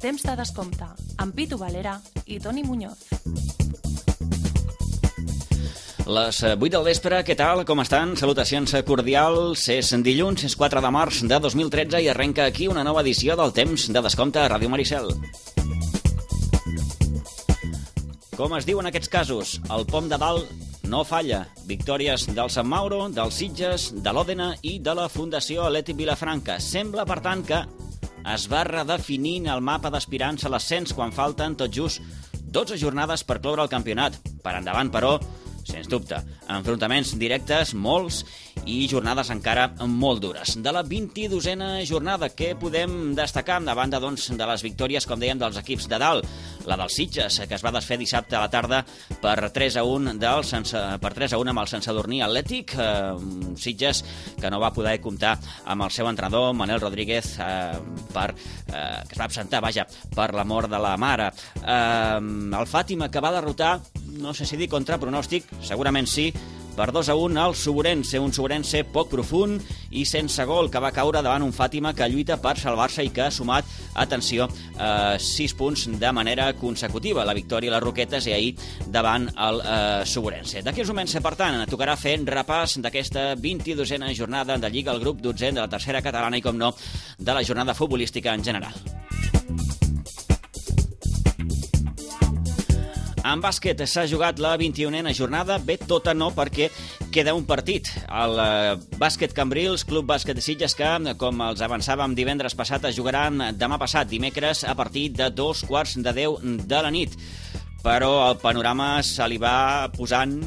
Temps de descompte, amb Pitu Valera i Toni Muñoz. Les 8 del vespre, què tal? Com estan? Salutacions cordials. És dilluns, és 4 de març de 2013 i arrenca aquí una nova edició del Temps de Descompte a Ràdio Maricel. Com es diu en aquests casos? El pom de dalt no falla. Victòries del Sant Mauro, del Sitges, de l'Òdena i de la Fundació Atlètic Vilafranca. Sembla, per tant, que es va redefinint el mapa d'aspirants a l'ascens quan falten tot just 12 jornades per cloure el campionat. Per endavant, però, sens dubte, enfrontaments directes, molts, i jornades encara molt dures. De la 22a jornada, què podem destacar? A banda, doncs, de les victòries, com dèiem, dels equips de dalt. La del Sitges, que es va desfer dissabte a la tarda per 3-1 amb el Sant Sadurní Atlètic. Sitges, que no va poder comptar amb el seu entrenador, Manel Rodríguez, que es va absentar, per la mort de la mare. El Fàtima, que va derrotar, no sé si dir contra pronòstic, segurament sí, per 2-1 al Suburense, un Suburense poc profund i sense gol, que va caure davant un Fàtima que lluita per salvar-se i que ha sumat, atenció, 6 punts de manera consecutiva. La victòria a les Roquetes i ahir davant el Suburense. D'aquí uns moments, per tant, tocarà fer repàs d'aquesta 22a jornada de Lliga, el grup 12 de la tercera catalana i, com no, de la jornada futbolística en general. En bàsquet s'ha jugat la 21a jornada, bé, tota no, perquè queda un partit. El bàsquet Cambrils, Club Bàsquet de Sitges, que, com els avançàvem divendres passat, es jugaran demà passat, dimecres, a partir de 9:45 de la nit. Però el panorama se li va posant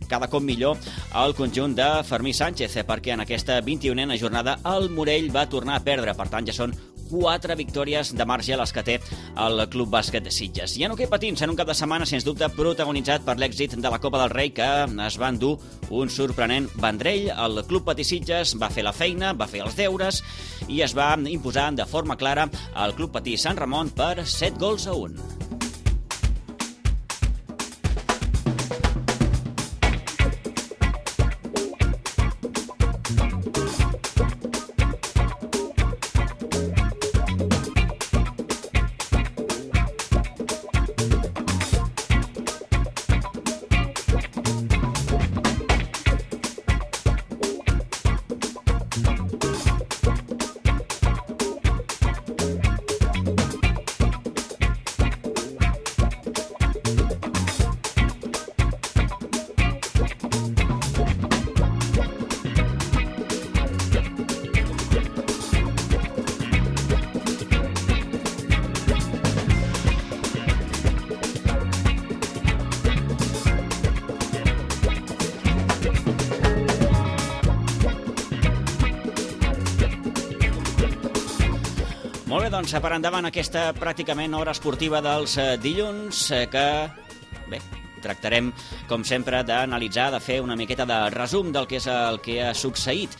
cada cop millor al conjunt de Fermí Sánchez, perquè en aquesta 21a jornada el Morell va tornar a perdre. Per tant, ja són 4 victòries de marge les que té el Club Bàsquet de Sitges. I en hoquei patins, en un cap de setmana, sens dubte, protagonitzat per l'èxit de la Copa del Rei, que es va endur un sorprenent Vendrell. El Club Patí Sitges va fer la feina, va fer els deures i es va imposar de forma clara al Club Patí Sant Ramon per 7-1. Molt bé, doncs, per endavant aquesta pràcticament hora esportiva dels dilluns, que, bé, tractarem, com sempre, d'analitzar, de fer una miqueta de resum del que és el que ha succeït.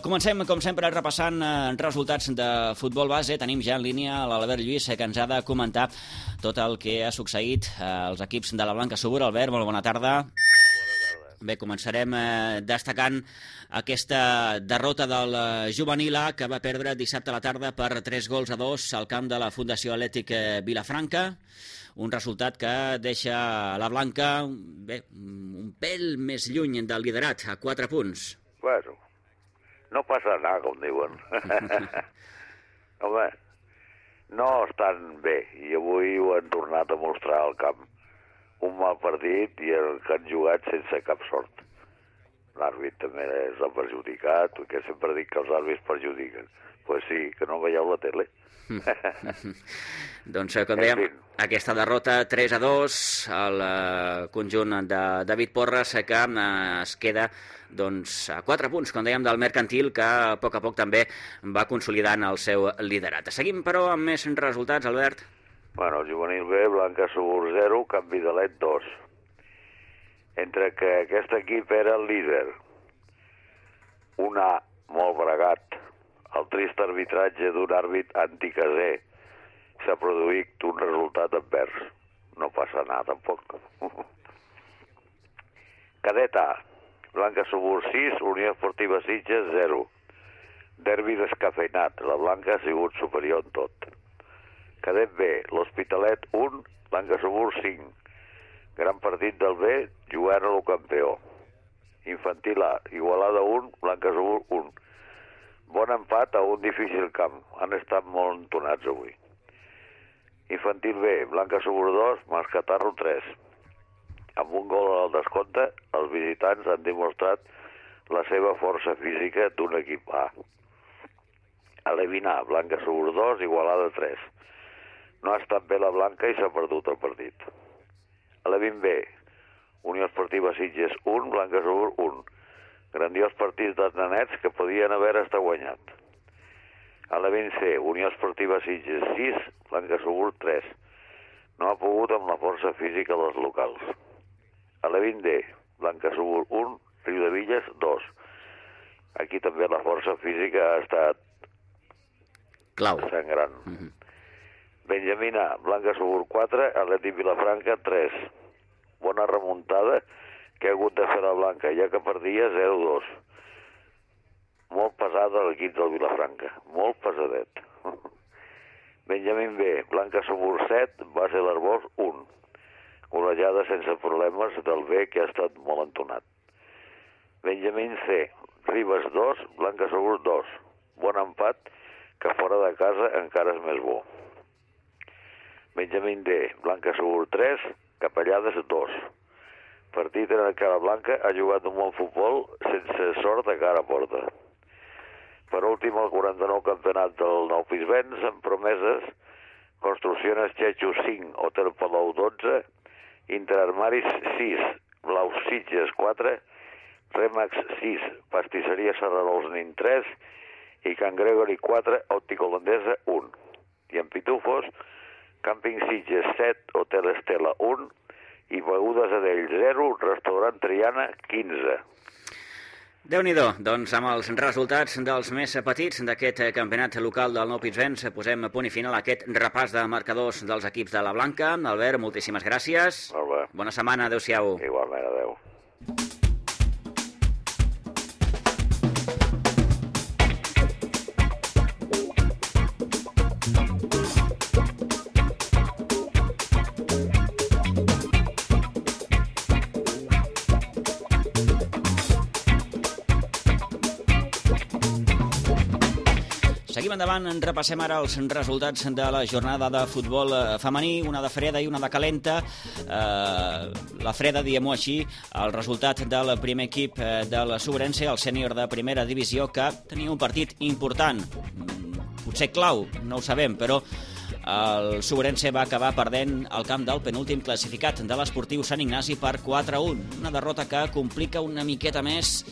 Comencem, com sempre, repassant resultats de futbol base. Tenim ja en línia l'Albert Lluís, que ens ha de comentar tot el que ha succeït als equips de la Blanca Subur. Albert, molt bona tarda. Bé, començarem destacant aquesta derrota del juvenil A, que va perdre dissabte a la tarda per 3-2 al camp de la Fundació Atlètic Vilafranca. Un resultat que deixa la Blanca, bé, un pèl més lluny del liderat, a 4 punts. Bueno, no passa nada, com diuen. Home, no estan bé, i avui ho han tornat a mostrar al camp. Un mal partit i el que han jugat sense cap sort. L'àrbit també és el perjudicat, que sempre dic que els àrbits perjudiquen. Pues sí, que no veieu la tele. Doncs, com dèiem, aquesta derrota 3-2 al conjunt de David Porres, que es queda doncs, a 4 punts, com dèiem, del Mercantil, que a poc també va consolidant el seu liderat. Seguim, però, amb més resultats, Albert. Bueno, el juvenil B, Blanca Subur 0, Camp Vidalet 2. Entre que aquest equip era el líder, un A molt bregat, el trist arbitratge d'un àrbit anticaser, s'ha produït un resultat advers. No passa nada, tampoc. Cadet A, Blanca Subur 6, Unió Esportiva Sitges 0. Derbi descafeinat, la Blanca ha sigut superior en tot. Cadet B, l'Hospitalet 1, Blanca Segur 5. Gran partit del B, jugant a lo campió. Infantil A, Igualada 1, Blanca Segur 1. Bon empat a un difícil camp. Han estat molt entonats avui. Infantil B, Blanca Segur 2, Mascatarro 3. Amb un gol al descompte, els visitants han demostrat la seva força física d'un equip A. Alevin A, Blanca Segur 2, Igualada 3. No ha estat bé la Blanca i s'ha perdut el partit. Alevin B, Unió Esportiva Sitges 1, Blanca Segur 1. Grandiós partit dels nanets que podien haver estat guanyat. Alevin C, Unió Esportiva Sitges 6, Blanca Segur 3. No ha pogut amb la força física dels locals. Alevin D, Blanca Segur 1, Riudevilles 2. Aquí també la força física ha estat clau. Sangrant. Benjamín A, Blanca Segur 4, Atlètic Vilafranca 3. Bona remuntada que ha hagut de fer la Blanca, ja que perdia 0-2. Molt pesada l'equip del Vilafranca, molt pesadet. Benjamín B, Blanca Segur 7, Base d'Arbós 1. Golejada sense problemes del B, que ha estat molt entonat. Benjamín C, Ribes 2, Blanca Segur 2. Bon empat, que fora de casa encara és més bo. Benjamín D, Blanca Segur 3, Capellades 2. Partit en el que la Blanca ha jugat un bon futbol sense sort de cara a porta. Per últim, el 49 campionat del Nou Pispens, amb promeses, Construcciones Chechu 5, Hotel Palau 12, Interarmaris 6, Blau Sitges 4, Remax 6, Pastisseria Serrarols Nin 3 i Can Gregory 4, Òptica Holandesa 1. I en Pitufos, Càmping Sitges 7, Hotel Estela 1 i Begudes Adell 0, Restaurant Triana 15. Déu-n'hi-do, doncs amb els resultats dels més petits d'aquest campionat local del Nou Pispens posem punt i final a aquest repàs de marcadors dels equips de la Blanca. Albert, moltíssimes gràcies. Molt bé. Bona setmana, adeu-siau. Igualment, adeu. Seguim endavant, repassem ara els resultats de la jornada de futbol femení, una de freda i una de calenta. La freda, diguem-ho així, el resultat del primer equip de la Sobrense, el sènior de primera divisió, que tenia un partit important, potser clau, no ho sabem, però el Sobrense va acabar perdent el camp del penúltim classificat de l'Esportiu Sant Ignasi per 4-1. Una derrota que complica una miqueta més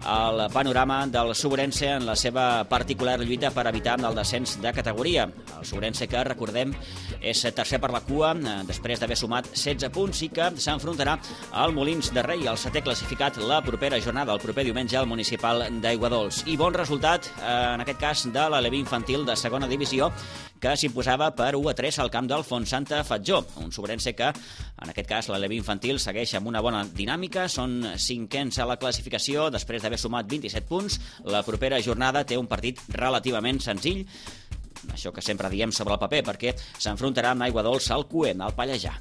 el panorama del Sobrense en la seva particular lluita per evitar el descens de categoria. El Sobrense, que recordem, és tercer per la cua després d'haver sumat 16 punts i que s'enfrontarà al Molins de Rei, el setè classificat, la propera jornada, el proper diumenge al municipal d'Aiguadols. I bon resultat, en aquest cas, de l'Aleví infantil de segona divisió, que s'imposava per 1-3 al camp del Fontsanta Fatjó. Un Sobrense que, en aquest cas, l'Aleví infantil segueix amb una bona dinàmica, són cinquens a la classificació després d'haver sumat 27 punts. La propera jornada té un partit relativament senzill, això que sempre diem sobre el paper, perquè s'enfrontarà amb Aiguadols al Cuem, al Pallejà.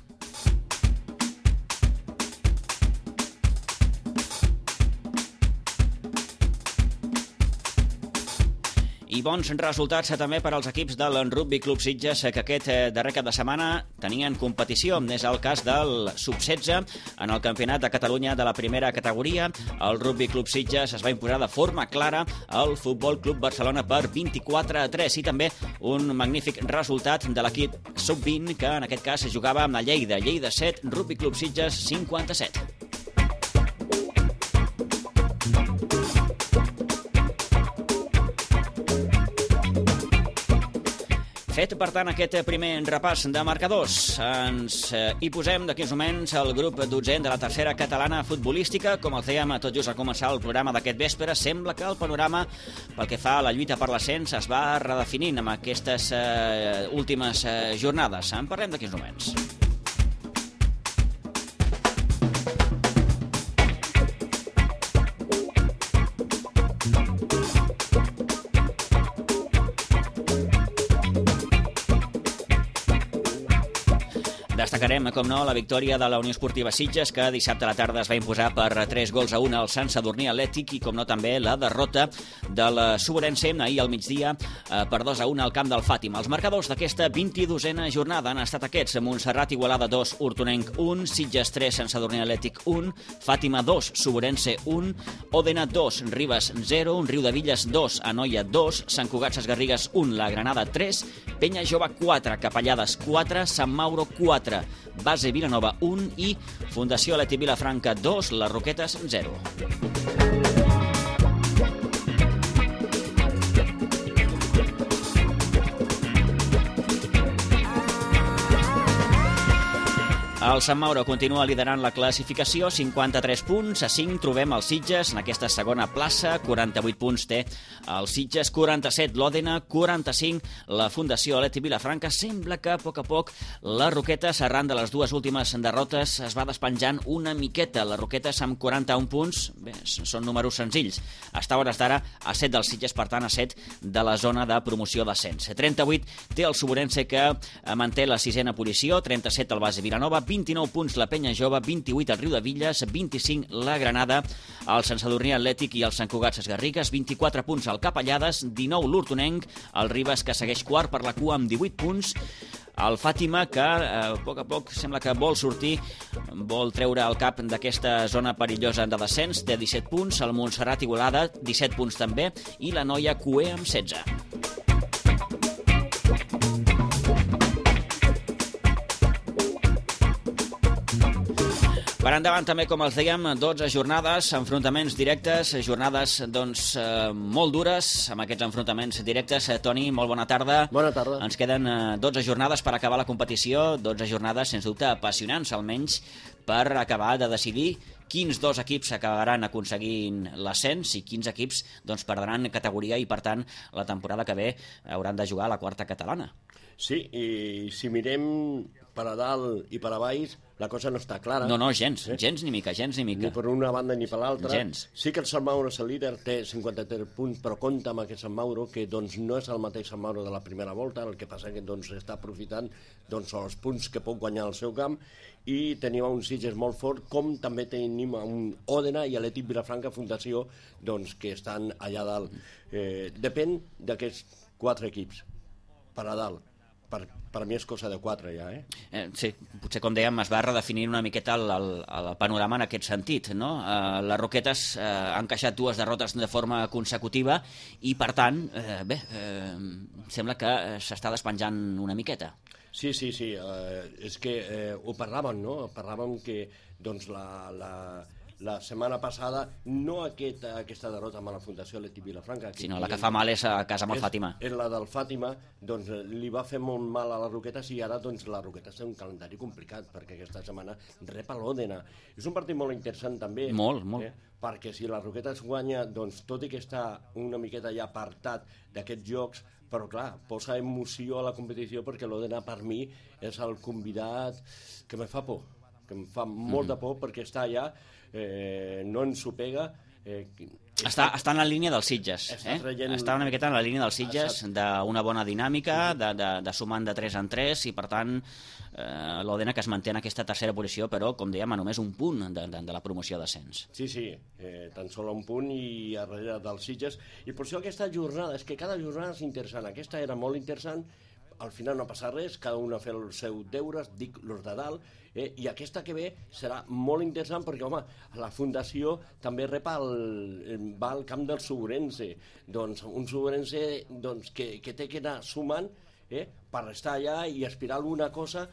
I bons resultats també per als equips del Rugby Club Sitges, que aquest darrer cap de setmana tenien competició. És el cas del Sub-16 en el Campionat de Catalunya de la primera categoria. El Rugby Club Sitges es va imposar de forma clara al Futbol Club Barcelona per 24-3 i també un magnífic resultat de l'equip Sub-20, que en aquest cas jugava amb la Lleida. Lleida 7, Rugby Club Sitges 57. Fet, per tant, aquest primer repàs de marcadors. Ens hi posem d'aquí uns moments el grup 12 de la tercera catalana futbolística. Com els dèiem tot just al començar el programa d'aquest vespre, sembla que el panorama pel que fa a la lluita per l'ascens es va redefinint amb aquestes últimes jornades. En parlem d'aquí uns moments. Destacarem, com no, la victòria de la Unió Esportiva Sitges, que dissabte a la tarda es va imposar per 3-1 al Sant Sadurní Atlètic, i, com no, també la derrota del Suborense ahir al migdia per 2-1 al camp del Fàtima. Els marcadors d'aquesta 22a jornada han estat aquests: Montserrat Igualada 2, Hortonenc 1, Sitges 3, Sant Sadurní Atlètic 1, Fàtima 2, Suborense 1, Òdena 2, Ribes 0, Riudevilles 2, Anoia 2, Sant Cugat Sesgarrigues 1, la Granada 3, Penya Jove 4, Capellades 4, Sant Mauro 4, Base Vilanova 1 i Fundació Atlètic Vilafranca 2, les Roquetes 0. El Sant Mauro continua liderant la classificació, 53 punts, a 5 trobem el Sitges en aquesta segona plaça, 48 punts té el Sitges, 47 l'Òdena, 45 la Fundació Atlètic Vilafranca. Sembla que a poc les Roquetes, arran de les dues últimes derrotes, es va despenjant una miqueta. Les Roquetes amb 41 punts, bé, són números senzills. Està a hores d'ara a 7 del Sitges, per tant a 7 de la zona de promoció d'ascens. 38 té el Suborense, que manté la sisena posició, 37 el Base Vilanova, 29 punts la Penya Jove, 28 el Riudevilles, 25 la Granada, el Sant Sadurní Atlètic i el Sant Cugat Sesgarrigues, 24 punts el Capellades, 19 l'Hortonenc, el Ribes, que segueix quart per la cua amb 18 punts, el Fàtima, que a poc sembla que vol sortir, vol treure el cap d'aquesta zona perillosa de descens, té 17 punts, el Montserrat Igualada, 17 punts també, i la Noia Cué amb 16. Per endavant també, com els dèiem, 12 jornades, enfrontaments directes, jornades molt dures amb aquests enfrontaments directes. Toni, molt bona tarda. Bona tarda. Ens queden 12 jornades per acabar la competició, 12 jornades sens dubte apassionants, almenys per acabar de decidir quins dos equips acabaran aconseguint l'ascens i quins equips perdran categoria i, per tant, la temporada que ve hauran de jugar a la quarta catalana. Sí, i si mirem per a dalt i per a baix, la cosa no està clara. No, gens ni mica. Ni per una banda ni per l'altra. Gens. Sí que el Sant Mauro és el líder, té 53 punts, però compta amb aquest Sant Mauro, que no és el mateix Sant Mauro de la primera volta, el que passa que està aprofitant els punts que pot guanyar al seu camp, i tenim un Sitges molt fort, com també tenim un Òdena i Atlètic Vilafranca Fundació, que estan allà dalt. Depèn d'aquests 4 equips, per a dalt. Per mi és cosa de 4 ja, Sí, potser, com dèiem, es va redefinir una miqueta el panorama en aquest sentit, no? Les Roquetes han encaixat 2 derrotes de forma consecutiva i, per tant, sembla que s'està despenjant una miqueta. Sí, és que ho parlàvem, no? Parlàvem que la setmana passada, no aquesta derrota amb la Fundació Atlètic Vilafranca, sinó la que fa mal és a casa amb el Fàtima. És la del Fàtima, li va fer molt mal a les Roquetes, i ara les Roquetes tenen un calendari complicat, perquè aquesta setmana rep a l'Òdena. És un partit molt interessant també. Molt. Perquè si les Roquetes guanya, tot i que està una miqueta ja apartat d'aquests jocs, però clar, posa emoció a la competició, perquè l'Òdena per mi és el convidat que me fa por, que em fa molt de por, perquè està allà, no ens ho pega. Està en la línia dels Sitges. Està una miqueta en la línia dels Sitges, d'una bona dinàmica, de sumant de 3 en 3, i per tant l'Òdena, que es manté en aquesta tercera posició, però, com dèiem, a només un punt de la promoció d'ascens. Sí, tan sol un punt i a darrere dels Sitges. I per això aquesta jornada, és que cada jornada és interessant. Aquesta era molt interessant, al final no passa res, cada un ha fet els seus deures, dic los de dalt, i aquesta que ve serà molt interessant, perquè, home, la Fundació també va al camp del Suborense, un Suborense que té que anar sumant per estar allà i aspirar a alguna cosa,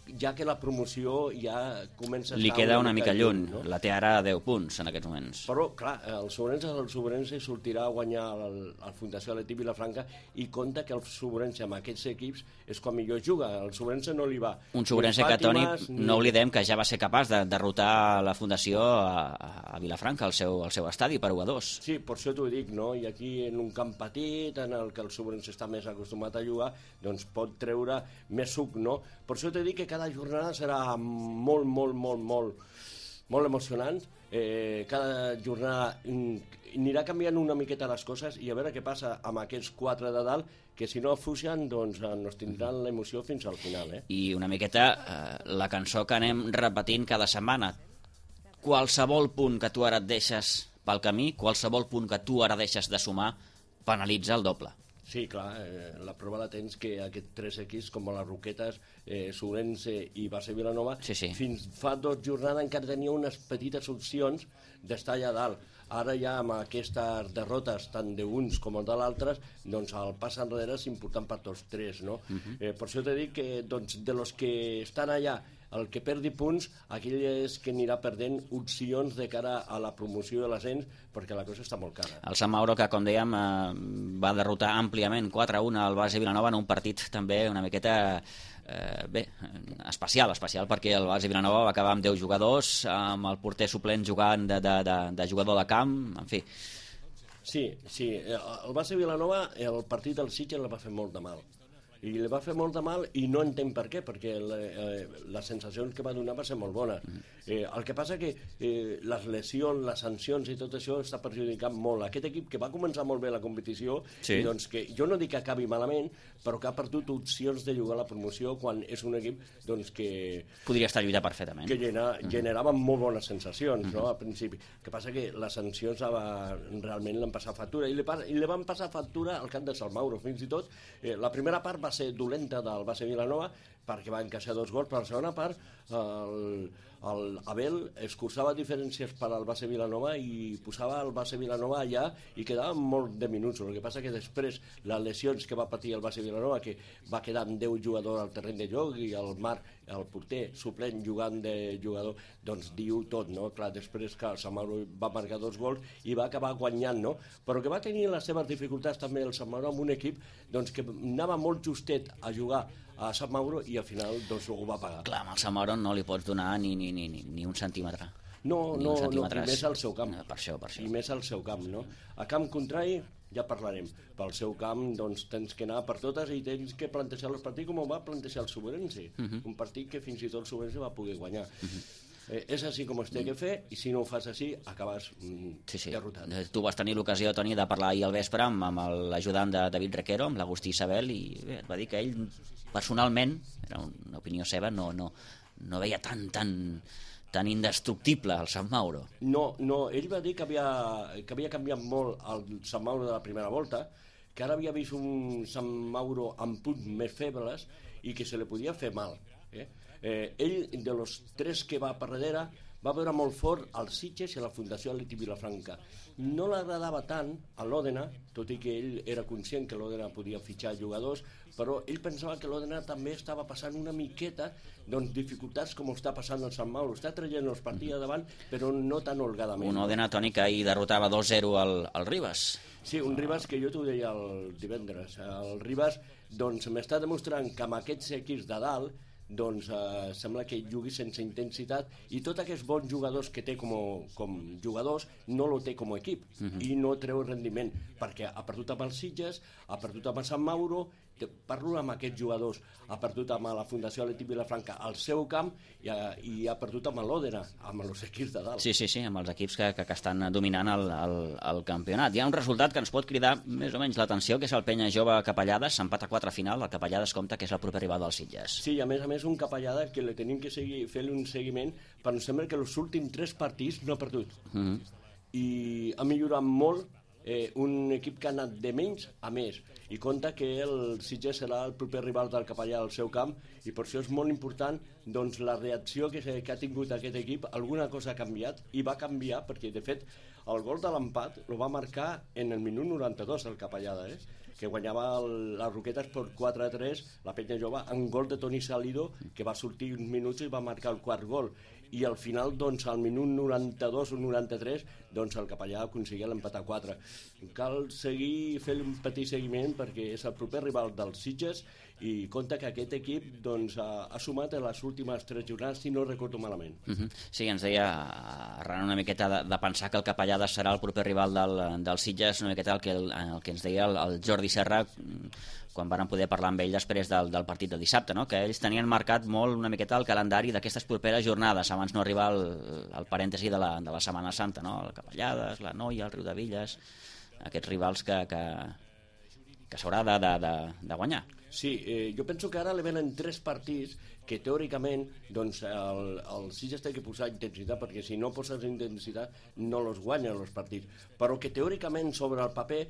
ja que la promoció ja comença a estar... Li queda una mica lluny, no? La té ara a 10 punts en aquests moments. Però, clar, el Suborense sortirà a guanyar el Fundació Atlètic Vilafranca, i compta que el Suborense amb aquests equips és quan millor juga. El Suborense no li va. Un Suborense que, Toni, no oblidem que ja va ser capaç de derrotar la Fundació a Vilafranca, al seu estadi, per 1-2. Sí, per això t'ho dic, no? I aquí, en un camp petit, en el que el Suborense està més acostumat a jugar, pot treure més suc, no? Per això t'he dit que cada jornada serà molt molt emocionants. Cada jornada anirà canviant una miqueta les coses i a veure què passa amb aquests 4 de dalt, que si no fugen, doncs nos tindran l'emoció fins al final. I una miqueta la cançó que anem repetint cada setmana. Qualsevol punt que tu ara et deixes pel camí, qualsevol punt que tu ara deixes de sumar, penalitza el doble. Sí, clar, la prova la tens que aquests 3 equips, com les Roquetes, Solense i Base Vilanova, sí. Fins fa 2 jornades encara tenia unes petites opcions d'estar allà dalt. Ara ja amb aquestes derrotes, tant d'uns com de l'altres, doncs el pas enrere és important per tots 3, no? Per això t'he dit que doncs, de los que estan allà, el que perdi punts, aquell és que anirà perdent opcions de cara a la promoció de l'ascens, perquè la cosa està molt cara. El Sant Mauro, que com dèiem va derrotar àmpliament 4-1 al Base Vilanova en un partit també una miqueta especial, perquè el Base Vilanova va acabar amb 10 jugadors, amb el porter suplent jugant de jugador de camp, en fi. Sí, el Base Vilanova, el partit del Sitges el va fer molt de mal. I li va fer molt de mal i no entenc per què, perquè les sensacions que va donar va ser molt bona. El que passa que les lesions, les sancions i tot això està perjudicant molt aquest equip que va començar molt bé la competició, i doncs que jo no dic que acabi malament, però que ha perdut opcions de jugar a la promoció quan és un equip doncs, que podria estar lluitant perfectament, que generava molt bones sensacions, no, al principi. El que passa que les sancions realment l'han passat factura, i li van passar factura al camp de Sant Mauro. Fins i tot la primera part va ser dolenta del Base Vilanova perquè va encaixar 2 gols, però la segona part l'Abel escurçava diferències per al Base Vilanova i posava el Base Vilanova allà i quedaven molt de minuts. El que passa que després les lesions que va patir el Base Vilanova, que va quedar amb 10 jugadors al terreny de joc i el Marc, el porter suplent jugant de jugador, doncs diu tot, no? Clar, després que el Sant Mauro va marcar 2 gols i va acabar guanyant, no? Però que va tenir les seves dificultats també el Sant Mauro amb un equip doncs, que anava molt justet a jugar a Sant Mauro i al final doncs, ho va pagar. Clar, amb el Sant Mauro no li pots donar ni un centímetre. No, i més al seu camp. Per això. I més al seu camp, no? A camp contrari ja parlarem. Pel seu camp doncs, tens que anar per totes i tens que plantejar el partit com ho va plantejar el Soberense. Un partit que fins i tot el Soberense va poder guanyar. És així com es té que fer, i si no ho fas així acabes derrotat. Tu vas tenir l'ocasió, Toni, de parlar ahir al vespre amb l'ajudant de David Requero, amb l'Agustí Isabel, i bé, et va dir que ell personalment, era una opinió seva, no veia tan indestructible el Sant Mauro. No, ell va dir que havia canviat molt el Sant Mauro de la primera volta, que ara havia vist un Sant Mauro amb punts més febles i que se li podia fer mal. Ell, de los 3 que va per darrere, va veure molt fort el Sitges i la Fundació Atleti Vilafranca. No l'agradava tant a l'Òdena, tot i que ell era conscient que l'Òdena podia fitxar jugadors, però ell pensava que l'Òdena també estava passant una miqueta dificultats com està passant el Sant Mauro. Està traient els partits davant, però no tan holgadament. Un Òdena, Toni, que ahir derrotava 2-0 al Ribas. Sí, un Ribas que jo t'ho deia el divendres. El Ribas doncs, m'està demostrant que amb aquests equips de dalt doncs sembla que jugui sense intensitat i tots aquests bons jugadors que té com jugadors no lo té com a equip i no treu rendiment perquè ha perdut amb els Sitges, ha perdut amb el Sant Mauro, parlo amb aquests jugadors, ha perdut amb la Fundació Atleti Vilafranca al seu camp i ha perdut amb l'Òdena, amb els equips de dalt. Sí, amb els equips que estan dominant el campionat. Hi ha un resultat que ens pot cridar més o menys l'atenció, que és el Penya Jove Capellades, s'empata 4 final, el Capellades compta que és el proper rival dels Sitges. Sí, a més un Capellades que li tenim que fer-li un seguiment, però em sembla que els últims 3 partits no ha perdut. I ha millorat molt un equip que ha anat de menys a més i compta que el Sitges serà el proper rival del Capellà al seu camp i per això és molt important doncs, la reacció que ha tingut aquest equip. Alguna cosa ha canviat i va canviar perquè de fet el gol de l'empat el va marcar en el minut 92 el Capellada, que guanyava les Roquetes per 4-3 la Penya Jove, en gol de Toni Salido que va sortir uns minuts i va marcar el 4 gol i al final, doncs, al minut 92 o 93, doncs el Capellà aconseguia l'empat a 4. Cal seguir fent un petit seguiment perquè és el proper rival dels Sitges i compta que aquest equip doncs, ha sumat en les últimes 3 jornades, si no recordo malament. Sí, ens deia, arran una miqueta de pensar que el Capellades serà el proper rival del Sitges, una miqueta el que ens deia el Jordi Serra quan van poder parlar amb ell després del partit de dissabte, no? Que ells tenien marcat molt una miqueta el calendari d'aquestes properes jornades abans no arribar al parèntesi de la Setmana Santa, no? El Capellades, la Noia, el Riudevilles, aquests rivals que s'haurà de guanyar. Sí, jo penso que ara li venen 3 partits que teòricament doncs, el Sitges té que posar intensitat, perquè si no poses intensitat no els guanyen els partits, però que teòricament sobre el paper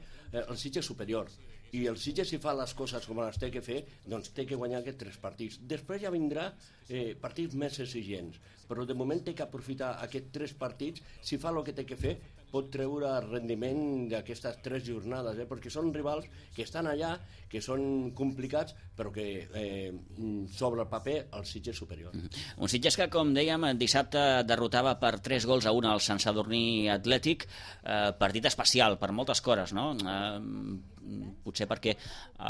el Sitges és superior, i el Sitges si fa les coses com les té que fer, doncs té que guanyar aquests 3 partits. Després ja vindrà partits més exigents, però de moment té que aprofitar aquests 3 partits. Si fa el que té que fer, pot treure rendiment d'aquestes 3 jornades, perquè són rivals que estan allà, que són complicats, però que sobre el paper el Sitges és superior. Un Sitges que, com dèiem, dissabte derrotava per 3-1 al Sant Sadurní Atlètic, partit especial per moltes coses, no? Potser perquè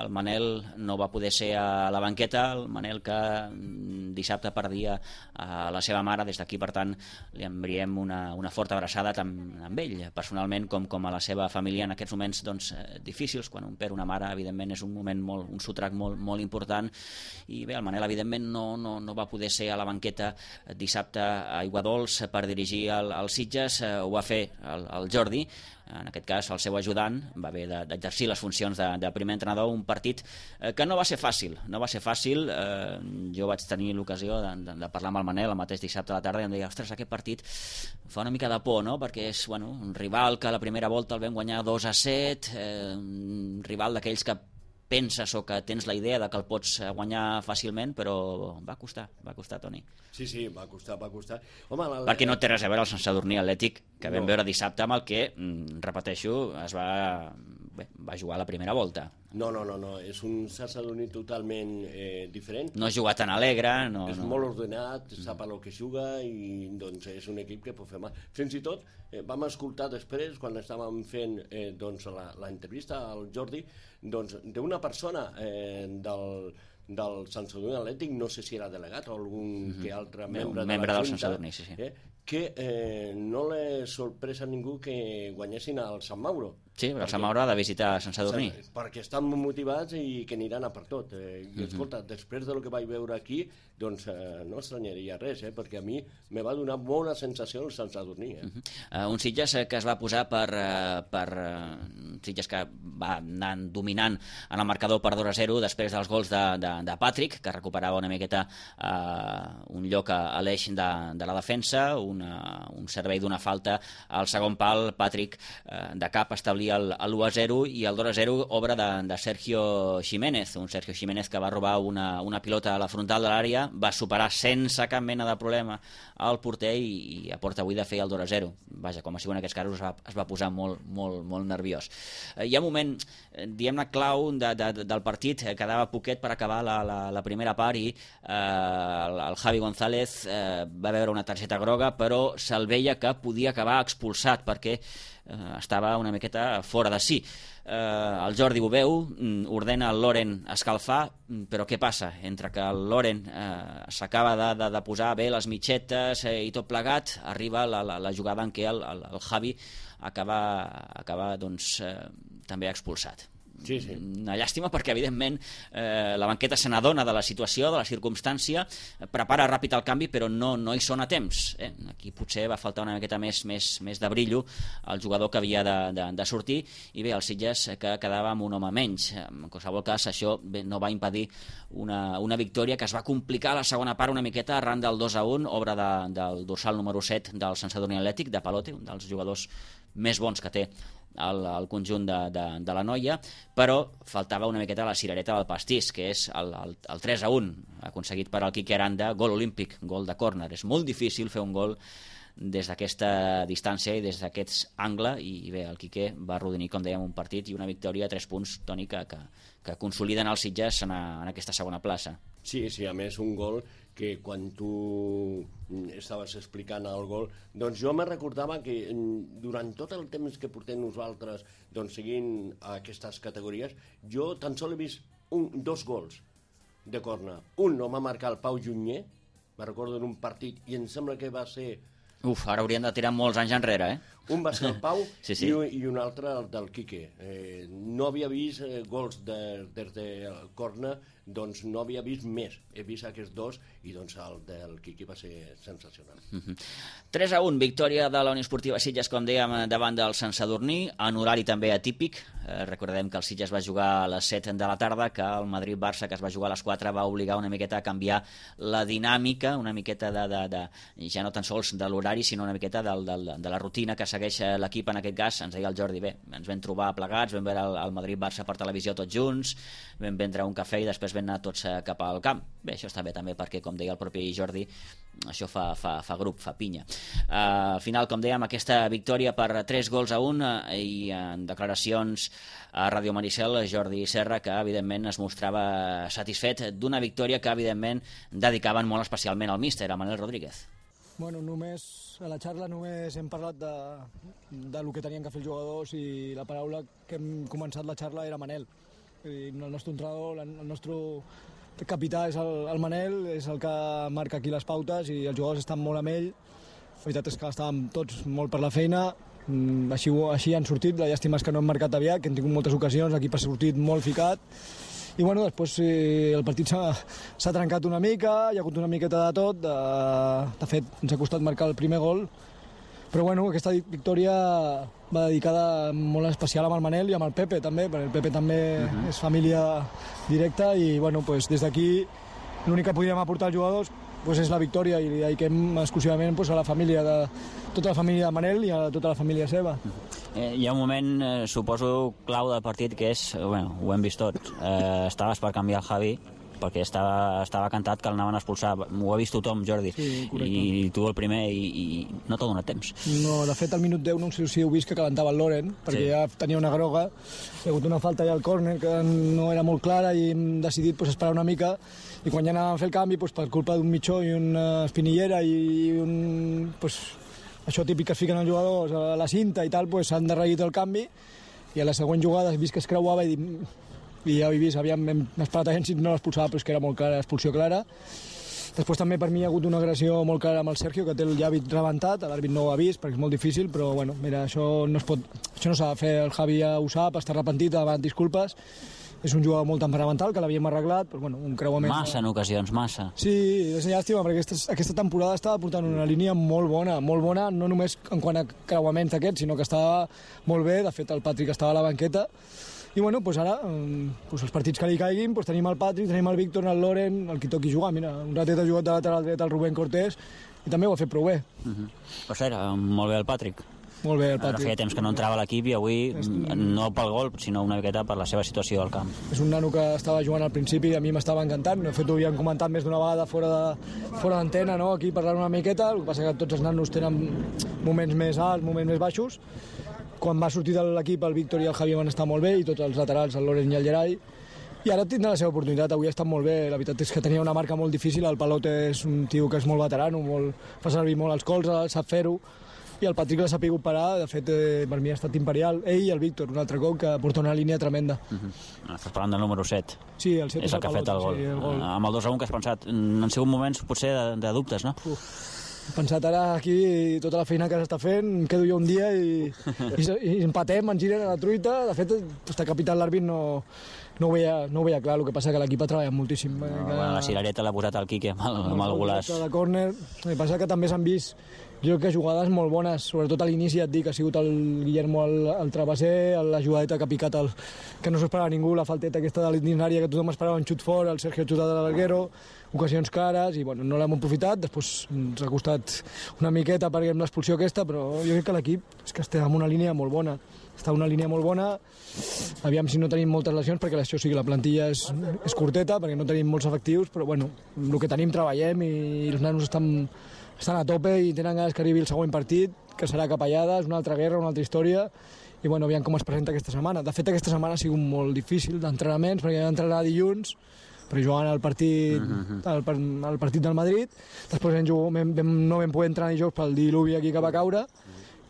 el Manel no va poder ser a la banqueta, el Manel que dissabte perdia a la seva mare, des d'aquí per tant li enviem una forta abraçada tant amb ell personalment com a la seva família en aquests moments doncs, difícils. Quan un perd una mare evidentment és un moment un sotrac molt important, i bé, el Manel evidentment no va poder ser a la banqueta dissabte a Aiguadols per dirigir el Sitges, ho va fer el Jordi, en aquest cas el seu ajudant, va haver d'exercir les funcions de primer entrenador. Un partit que no va ser fàcil, jo vaig tenir l'ocasió de parlar amb el Manel el mateix dissabte a la tarda i em deia, ostres, aquest partit fa una mica de por, no? Perquè és un rival que a la primera volta el vam guanyar 2-7, un rival d'aquells que penses o que tens la idea de que el pots guanyar fàcilment, però va costar, Toni. Sí, va costar. Home, perquè no té res a veure el Sant Sadurní Atlètic que vam veure dissabte amb el que, repeteixo, va jugar a la primera volta. No, és un Sant Sadurní totalment diferent. No juga tan alegre. És molt ordenat, sap a lo que juga i doncs és un equip que pot fer mal. Fins i tot vam escoltar després, quan estàvem fent doncs, l'entrevista al Jordi, doncs, d'una persona del Sant Sadurní Atlètic, no sé si era delegat o algun que altre membre de la del Sant Sadurní, sí. Que no li sorpresa a ningú que guanyessin al Sant Mauro. Sí, el Sant Mauro ha de visitar Sant Sadurní. Perquè estan motivats i que aniran a per tot. I escolta, després del que vaig veure aquí, doncs no estranyaria res, perquè a mi me va donar bona sensació el Sant Sadurní. Un Sitges que es va posar un Sitges que va anar dominant en el marcador per 2-0 després dels gols de Patrick, que recuperava una miqueta un lloc a l'eix de la defensa, un servei d'una falta al segon pal. Patrick de cap establia l'1-0 i el 2-0 obra de Sergio Jiménez, un Sergio Jiménez que va robar una pilota a la frontal de l'àrea, va superar sense cap mena de problema al porter i a porta buida feia el 2-0. Vaja, com a sigui en aquests casos es va posar molt nerviós. Hi ha un moment, diguem-ne, clau del partit, quedava poquet per acabar la primera part i el Javi González va veure una targeta groga, però se'l veia que podia acabar expulsat perquè estava una miqueta fora de si. El Jordi ho veu, ordena el Loren escalfar, però què passa? Entre que el Loren s'acaba de posar bé les mitxetes i tot plegat, arriba la jugada en què el Javi acaba doncs, també expulsat. Sí. Una llàstima perquè evidentment la banqueta se n'adona de la situació, de la circumstància, prepara ràpid el canvi però no hi són a temps. Aquí potser va faltar una miqueta més de brillo al jugador que havia de sortir, i bé, el Sitges que quedava amb un home menys. En qualsevol cas, això no va impedir una victòria que es va complicar a la segona part una miqueta arran del 2-1, obra del dorsal número 7 del Sant Sadurní Atlètic, de Palote, un dels jugadors més bons que té el conjunt de la Noia, però faltava una miqueta la cirereta del pastís, que és el 3-1 aconseguit per el Quique Aranda, gol olímpic, gol de córner. És molt difícil fer un gol des d'aquesta distància i des d'aquest angle, i bé, el Quique va arrodonir, com dèiem, un partit i una victòria a 3 punts, Toni, que consoliden els Sitges en aquesta segona plaça. Sí, a més un gol que quan tu estaves explicant el gol, doncs jo me recordava que durant tot el temps que portem nosaltres doncs, seguint aquestes categories, jo tan sols he vist 2 gols de corna. Un no va marcar el Pau Junyer, me recordo en un partit, i em sembla que va ser... Ara haurien de tirar molts anys enrere, Un va ser el Pau sí. I un altre el del Quique. No havia vist gols des de corna, doncs no havia vist més. He vist aquests dos i doncs el del Quique va ser sensacional. 3-1, victòria de la Unió Esportiva Sitges, com dèiem, davant del Sant Sadurní, en horari també atípic. Recordem que el Sitges va jugar a les 7 de la tarda, que el Madrid-Barça, que es va jugar a les 4, va obligar una miqueta a canviar la dinàmica, una miqueta ja no tan sols de l'horari, sinó una miqueta de la rutina que segueix l'equip en aquest cas. Ens deia el Jordi, bé, ens vam trobar plegats, vam veure el Madrid-Barça per televisió tots junts, vam prendre un cafè i després vam anar tots cap al camp. Bé, això està bé també perquè, com deia el propi Jordi, això fa grup, fa pinya. Al final, com dèiem, aquesta victòria per 3-1 i en declaracions a Ràdio Maricel, Jordi Serra, que evidentment es mostrava satisfet d'una victòria que evidentment dedicaven molt especialment al míster, a Manel Rodríguez. Bueno, a la xarra només hem parlat de lo que tenien que fer els jugadors i la paraula que hem començat la xarra era Manel. El nostre entrenador, el nostre capità és el Manel, és el que marca aquí les pautes i els jugadors estan molt amb ell. La veritat és que estàvem tots molt per la feina, així han sortit, la llàstima és que no hem marcat aviat, que hem tingut moltes ocasions, l'equip ha sortit molt ficat. I bueno, després el partit s'ha trencat una mica, hi ha hagut una miqueta de tot, de fet ens ha costat marcar el primer gol, però bueno, aquesta victòria va dedicada molt especial amb el Manel i amb el Pepe també, perquè el Pepe també és família directa i bueno, pues, des d'aquí l'únic que podíem aportar als jugadors pues, és la victòria i li dediquem exclusivament pues, a la família, tota la família de Manel i a tota la família seva. Hi ha un moment, suposo, clau del partit que és, bueno, ho hem vist tots, estaves per canviar el Javi perquè estava cantat que l'anaven a expulsar. Ho ha vist tothom, Jordi, sí, i tu el primer, i no t'ha donat temps. No, de fet, al minut 10 no sé si heu vist que calentava el Loren, perquè ja tenia una groga, hi ha hagut una falta allà al córner que no era molt clara i hem decidit pues, esperar una mica, i quan ja anàvem a fer el canvi, pues, per culpa d'un mitjó i una espinillera i un... Pues, això típic que es fiquen els jugadors a la cinta i tal, pues, s'han derreguit el canvi, i a la següent jugada he vist que es creuava i ja ho he vist, hem esperat a gent si no l'expulsava, però és que era molt clara, expulsió clara. Després també per mi hi ha hagut una agressió molt clara amb el Sergio, que té el llavi rebentat, l'àrbit no ho ha vist perquè és molt difícil, però bueno, mira, això no s'ha de fer, el Javi ja ho sap, està arrepentit, ha demanat disculpes. És un jugador molt temperamental, que l'havíem arreglat, però bueno, un creuament... Massa en ocasions, massa. Sí, és llàstima, perquè aquesta temporada estava portant una línia molt bona, no només en quant a creuaments d'aquests, sinó que estava molt bé, de fet el Patrick estava a la banqueta, i bueno, doncs ara, els partits que li caiguin, tenim el Patrick, tenim el Víctor, el Loren, el qui toqui jugar, mira, un ratet ha jugat de lateral dret el Rubén Cortés, i també ho ha fet prou bé. Per cert, molt bé el Patrick. Molt bé, el Patrick. Feia temps que no entrava a l'equip i avui, no pel gol, sinó una miqueta per la seva situació al camp. És un nano que estava jugant al principi i a mi m'estava encantant. De fet, ho havíem comentat més d'una vegada fora d'antena, no? Aquí parlant una miqueta. El que passa que tots els nanos tenen moments més alts, moments més baixos. Quan va sortir de l'equip, el Víctor i el Javi van estar molt bé, i tots els laterals, el Loren i el Gerai. I ara tindrà la seva oportunitat, avui ha estat molt bé. La veritat és que tenia una marca molt difícil, el Palote és un tio que és molt veterano, fa servir molt els colzes, sap fer-ho, i el Patrick l'ha sabut parar, de fet per mi ha estat imperial, ell i el Víctor, un altre cop que porta una línia tremenda. Estàs parlant del número 7. Sí, el 7 és el que ha fet el gol. Sí, el gol. Amb el 2-1 que has pensat, han sigut moments potser de dubtes, no? He pensat ara aquí tota la feina que s'està fent, em quedo jo un dia i empatem, ens giren a la truita. De fet, està capital l'àrbit no ho veia clar, el que passa que l'equip ha treballat moltíssim. La cirereta l'ha posat el Quique amb el golaç. De córner, el que passa que també s'han vist jo crec que jugades molt bones, sobretot a l'inici, et dic, ha sigut el Guillermo el travesser, la jugadeta que ha picat que no s'ho esperava ningú, la falteta aquesta de l'ordinària que tothom esperava un xut fort, el Sergio xutat de l'Alguero, ocasions clares, i bueno, no l'hem aprofitat, després ens ha costat una miqueta perquè amb l'expulsió aquesta, però jo crec que l'equip és que està en una línia molt bona, aviam si no tenim moltes lesions, perquè això sí que la plantilla és curteta, perquè no tenim molts efectius, però bueno, el que tenim treballem i els nanos estan a tope i tenen ganes que arribi el següent partit, que serà Capellades, una altra guerra, una altra història, i bueno, aviam com es presenta aquesta setmana. De fet, aquesta setmana ha sigut molt difícil d'entrenaments, perquè vam entrenar dilluns, perquè jugant el partit del Madrid, després no vam poder entrenar dijous pel diluvi aquí que va caure,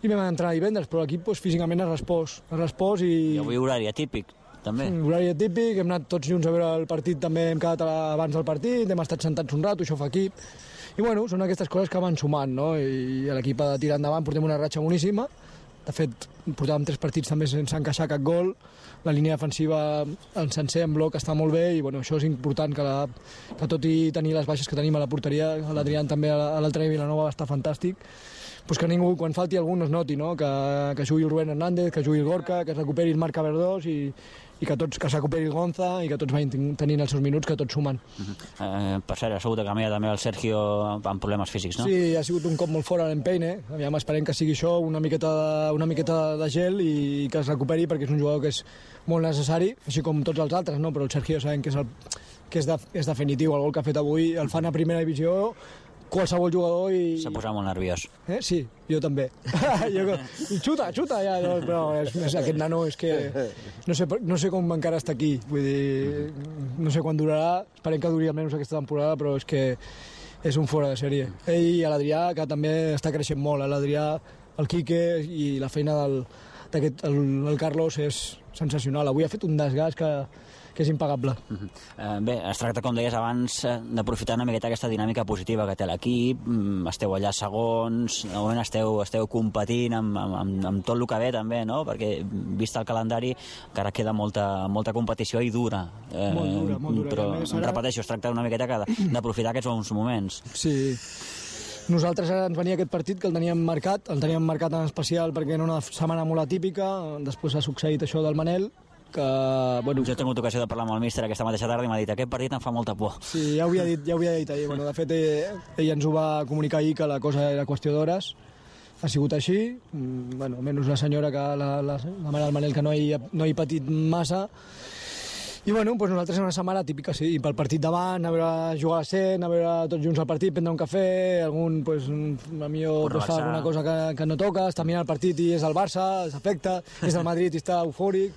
i vam entrenar divendres, però l'equip físicament ha respost i avui horari atípic, també. Horari atípic, hem anat tots junts a veure el partit, també hem quedat abans del partit, hem estat sentats un rato, això fa equip. I bueno, són aquestes coses que van sumant, no? I l'equip ha de tirar endavant, portem una ratxa boníssima. De fet, portàvem 3 partits també sense encaixar cap gol. La línia defensiva en sencer, en bloc, està molt bé i bueno, això és important, que tot i tenir les baixes que tenim a la porteria, l'Adrián també a l'altre nivell Vilanova està fantàstic, pues que ningú, quan falti algú, no es noti, no? Que jugui el Rubén Hernández, que jugui el Gorka, que es recuperi el Marc Verdós i que se recuperi el Gonza i que tots vagin tenint els seus minuts, que tots sumen. Per cert, ha sigut a canviar també el Sergio amb problemes físics, no? Sí, ha sigut un cop molt fort a l'Empeine. Aviam, esperem que sigui això, una miqueta de gel i que es recuperi, perquè és un jugador que és molt necessari, així com tots els altres, no? Però el Sergio sabem que és definitiu. El gol que ha fet avui el fan a primera divisió qualsevol jugador i... S'ha posat molt nerviós. Sí, jo també. I xuta, ja. No, però aquest nano és que... No sé com encara està aquí. Vull dir, no sé quan durarà. Esperem que duri almenys aquesta temporada, però és que és un fora de sèrie. Ell i l'Adrià, que també està creixent molt. L'Adrià, el Quique i la feina el Carlos és sensacional. Avui ha fet un desgast que és impagable. Bé, es tracta, com deies abans, d'aprofitar una miqueta aquesta dinàmica positiva que té l'equip. Esteu allà segons, de moment esteu competint amb tot el que ve també, no? Perquè, vist el calendari, encara queda molta competició i dura. Molt dura. Però, repeteixo, es tracta una miqueta d'aprofitar aquests bons moments. Sí. Nosaltres ara ens venia aquest partit que el teníem marcat en especial perquè era una setmana molt atípica, després ha succeït això del Manel, que... Bueno, jo he tingut ocasió de parlar amb el míster aquesta mateixa tarda i m'ha dit aquest partit em fa molta por. Sí, ja ho havia dit ahir. Bueno, de fet, ell ens ho va comunicar ahir, que la cosa era qüestió d'hores. Ha sigut així. Bueno, menys la senyora, que la mare del Manel, que no hi ha patit massa. I bueno, doncs nosaltres és una setmana típica, sí, pel partit davant, a veure jugar a l'Assent, a veure tots junts al partit, prendre un cafè, algun, pues, a millor pues, fa alguna cosa que no toca, està mirant el partit i és el Barça, s'afecta, és el Madrid i està eufòric.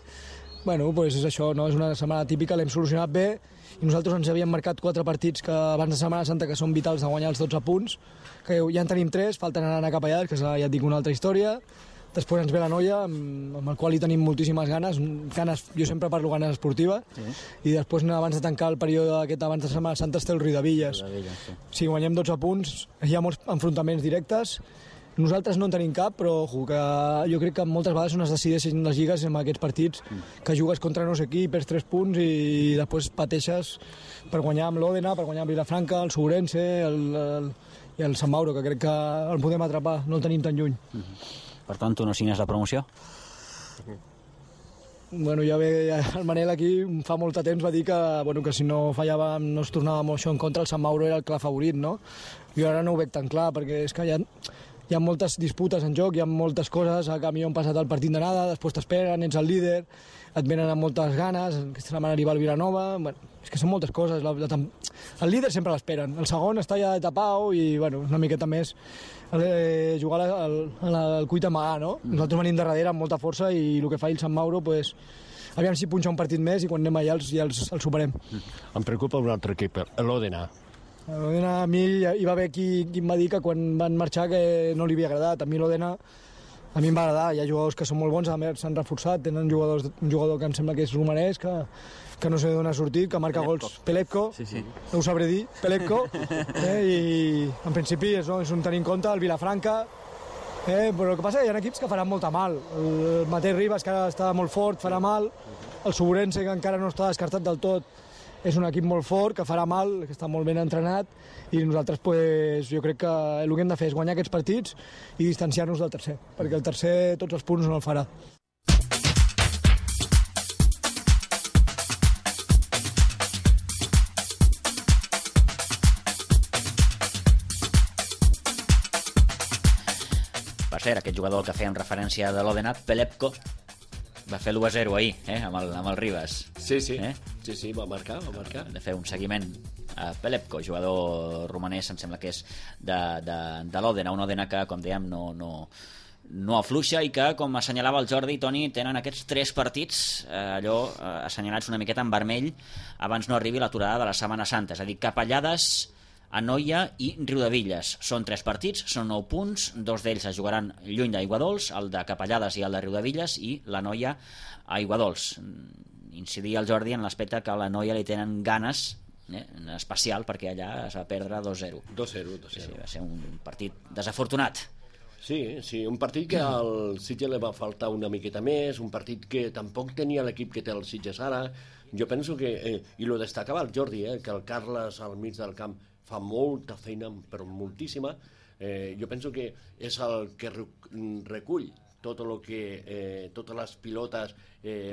Bueno, pues és això, no? És una setmana típica, l'hem solucionat bé i nosaltres ens havíem marcat 4 partits que abans de Setmana Santa que són vitals de guanyar els 12 punts, que ja en tenim 3, falten anar cap allà, que ja et dic una altra història. Després ens ve la Noia, amb el qual hi tenim moltíssimes ganes, jo sempre parlo ganes esportives, sí. I després, abans de tancar el període aquest abans de Setmana Santa, té el Riudevilles. Sí. Si guanyem 12 punts, hi ha molts enfrontaments directes. Nosaltres no en tenim cap, però que jo crec que moltes vegades on es decideixen les lligues en aquests partits, que jugues contra no sé qui, perds 3 punts i després pateixes per guanyar amb l'Òdena, per guanyar amb Vilafranca, el Segurense i el Sant Mauro, que crec que el podem atrapar, no el tenim tan lluny. Per tant, tu no signes la promoció? Bueno, ja el Manel aquí fa molt de temps va dir que si no fallàvem no es tornava amb això en contra, el Sant Mauro era el clar favorit, no? Jo ara no ho veig tan clar, perquè és que hi ha moltes disputes en joc, hi ha moltes coses, a canvi han passat el partit d'anada, després t'esperen, ets el líder, et venen amb moltes ganes, aquesta setmana arriba el Vilanova, bueno, és que són moltes coses, el líder sempre l'esperen, el segon està ja de tapau i bueno, una miqueta més jugar al cuit amagar, no? Nosaltres venim de darrere amb molta força i el que fa el Sant Mauro, pues, aviam si punxa un partit més i quan anem allà ja els superem. Em preocupa un altre equip, l'Òdena. A mi hi va haver qui em va dir que quan van marxar que no li havia agradat. A mi l'Òdena a mi em va agradar, hi ha jugadors que són molt bons, a més s'han reforçat, tenen un jugador que em sembla que és romanès, que no sé d'on ha sortit, que marca gols, Pelepko, sí. No ho sabré dir, Pelepko, i en principi és un tenir en compte, el Vilafranca, però el que passa és que hi ha equips que faran molta mal, el Mateu Ribas, que ara està molt fort, farà mal, el Segurense, que encara no està descartat del tot, és un equip molt fort, que farà mal, que està molt ben entrenat, i nosaltres pues, jo crec que el que hem de fer és guanyar aquests partits i distanciar-nos del tercer, perquè el tercer tots els punts no el farà. Per cert, aquest jugador que fèiem referència de l'Òdena, Pelepko, va fer l'1-0 ahir, amb el Ribas. Sí, va marcar. De fer un seguiment a Pelepko, jugador romanès, em sembla que és de l'Òdena, un Òdena que, com dèiem, no afluixa i que, com assenyalava el Jordi i Toni, tenen aquests 3 partits assenyalats una miqueta en vermell abans no arribi l'aturada de la Setmana Santa, és a dir, Capellades, Anoia i Riudevilles. Són 3 partits, són 9 punts, 2 d'ells es jugaran lluny d'Aiguadols, el de Capellades i el de Riudevilles, i l'Anoia a Aiguadols. incidir el Jordi en l'aspecte que a la noia li tenen ganes, en especial perquè allà es va perdre 2-0. 2-0. Sí, va ser un partit desafortunat. Sí, un partit que al Sitges li va faltar una miqueta més, un partit que tampoc tenia l'equip que té el Sitges ara. Jo penso que, i lo destacava el Jordi, que el Carles al mig del camp fa molta feina, però moltíssima. Jo penso que és el que recull totes les pilotes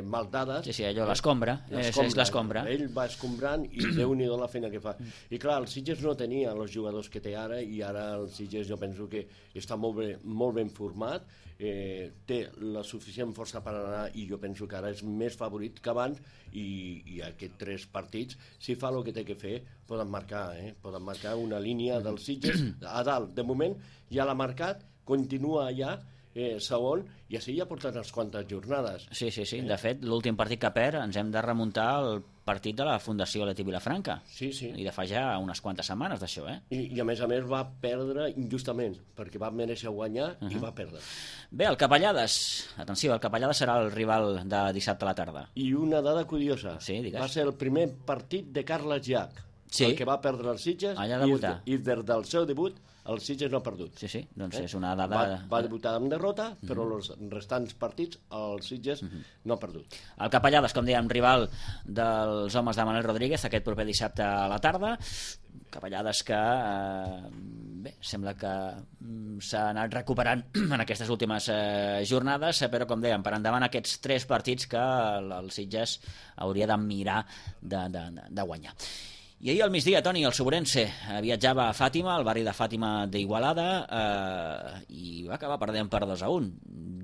mal dades. Sí, allò, l'escombra, és l'escombra. Ell va escombrant i Déu-n'hi-do la feina que fa. I clar, el Sitges no tenia els jugadors que té ara, i ara el Sitges jo penso que està molt ben format, té la suficient força per anar, i jo penso que ara és més favorit que abans, i aquests 3 partits, si fa el que té que fer, poden marcar una línia del Sitges a dalt. De moment ja l'ha marcat, continua allà, segon, i així ja porten unes quantes jornades. Sí. De fet, l'últim partit que perd ens hem de remuntar al partit de la Fundació Leti Vilafranca. Sí. I de fa ja unes quantes setmanes d'això, I a més va perdre injustament, perquè va mereixer guanyar i va perdre. Bé, el Capellades. Atenció, el Capellades serà el rival de dissabte a la tarda. I una dada curiosa. Sí, digues. Va ser el primer partit de Carles Llach, el que va perdre el Sitges, allà debutar. I des del seu debut el Sitges no ha perdut. Sí, doncs és una dada... Va debutar amb derrota, però els restants partits el Sitges no ha perdut. El Capellades, com dèiem, rival dels homes de Manuel Rodríguez aquest proper dissabte a la tarda. Capellades que sembla que s'ha anat recuperant en aquestes últimes jornades, però com dèiem, per endavant aquests 3 partits que el Sitges hauria de mirar de guanyar. I ahir al migdia, Toni, el Sobrense viatjava a Fàtima, al barri de Fàtima d'Igualada, i va acabar perdent per 2-1.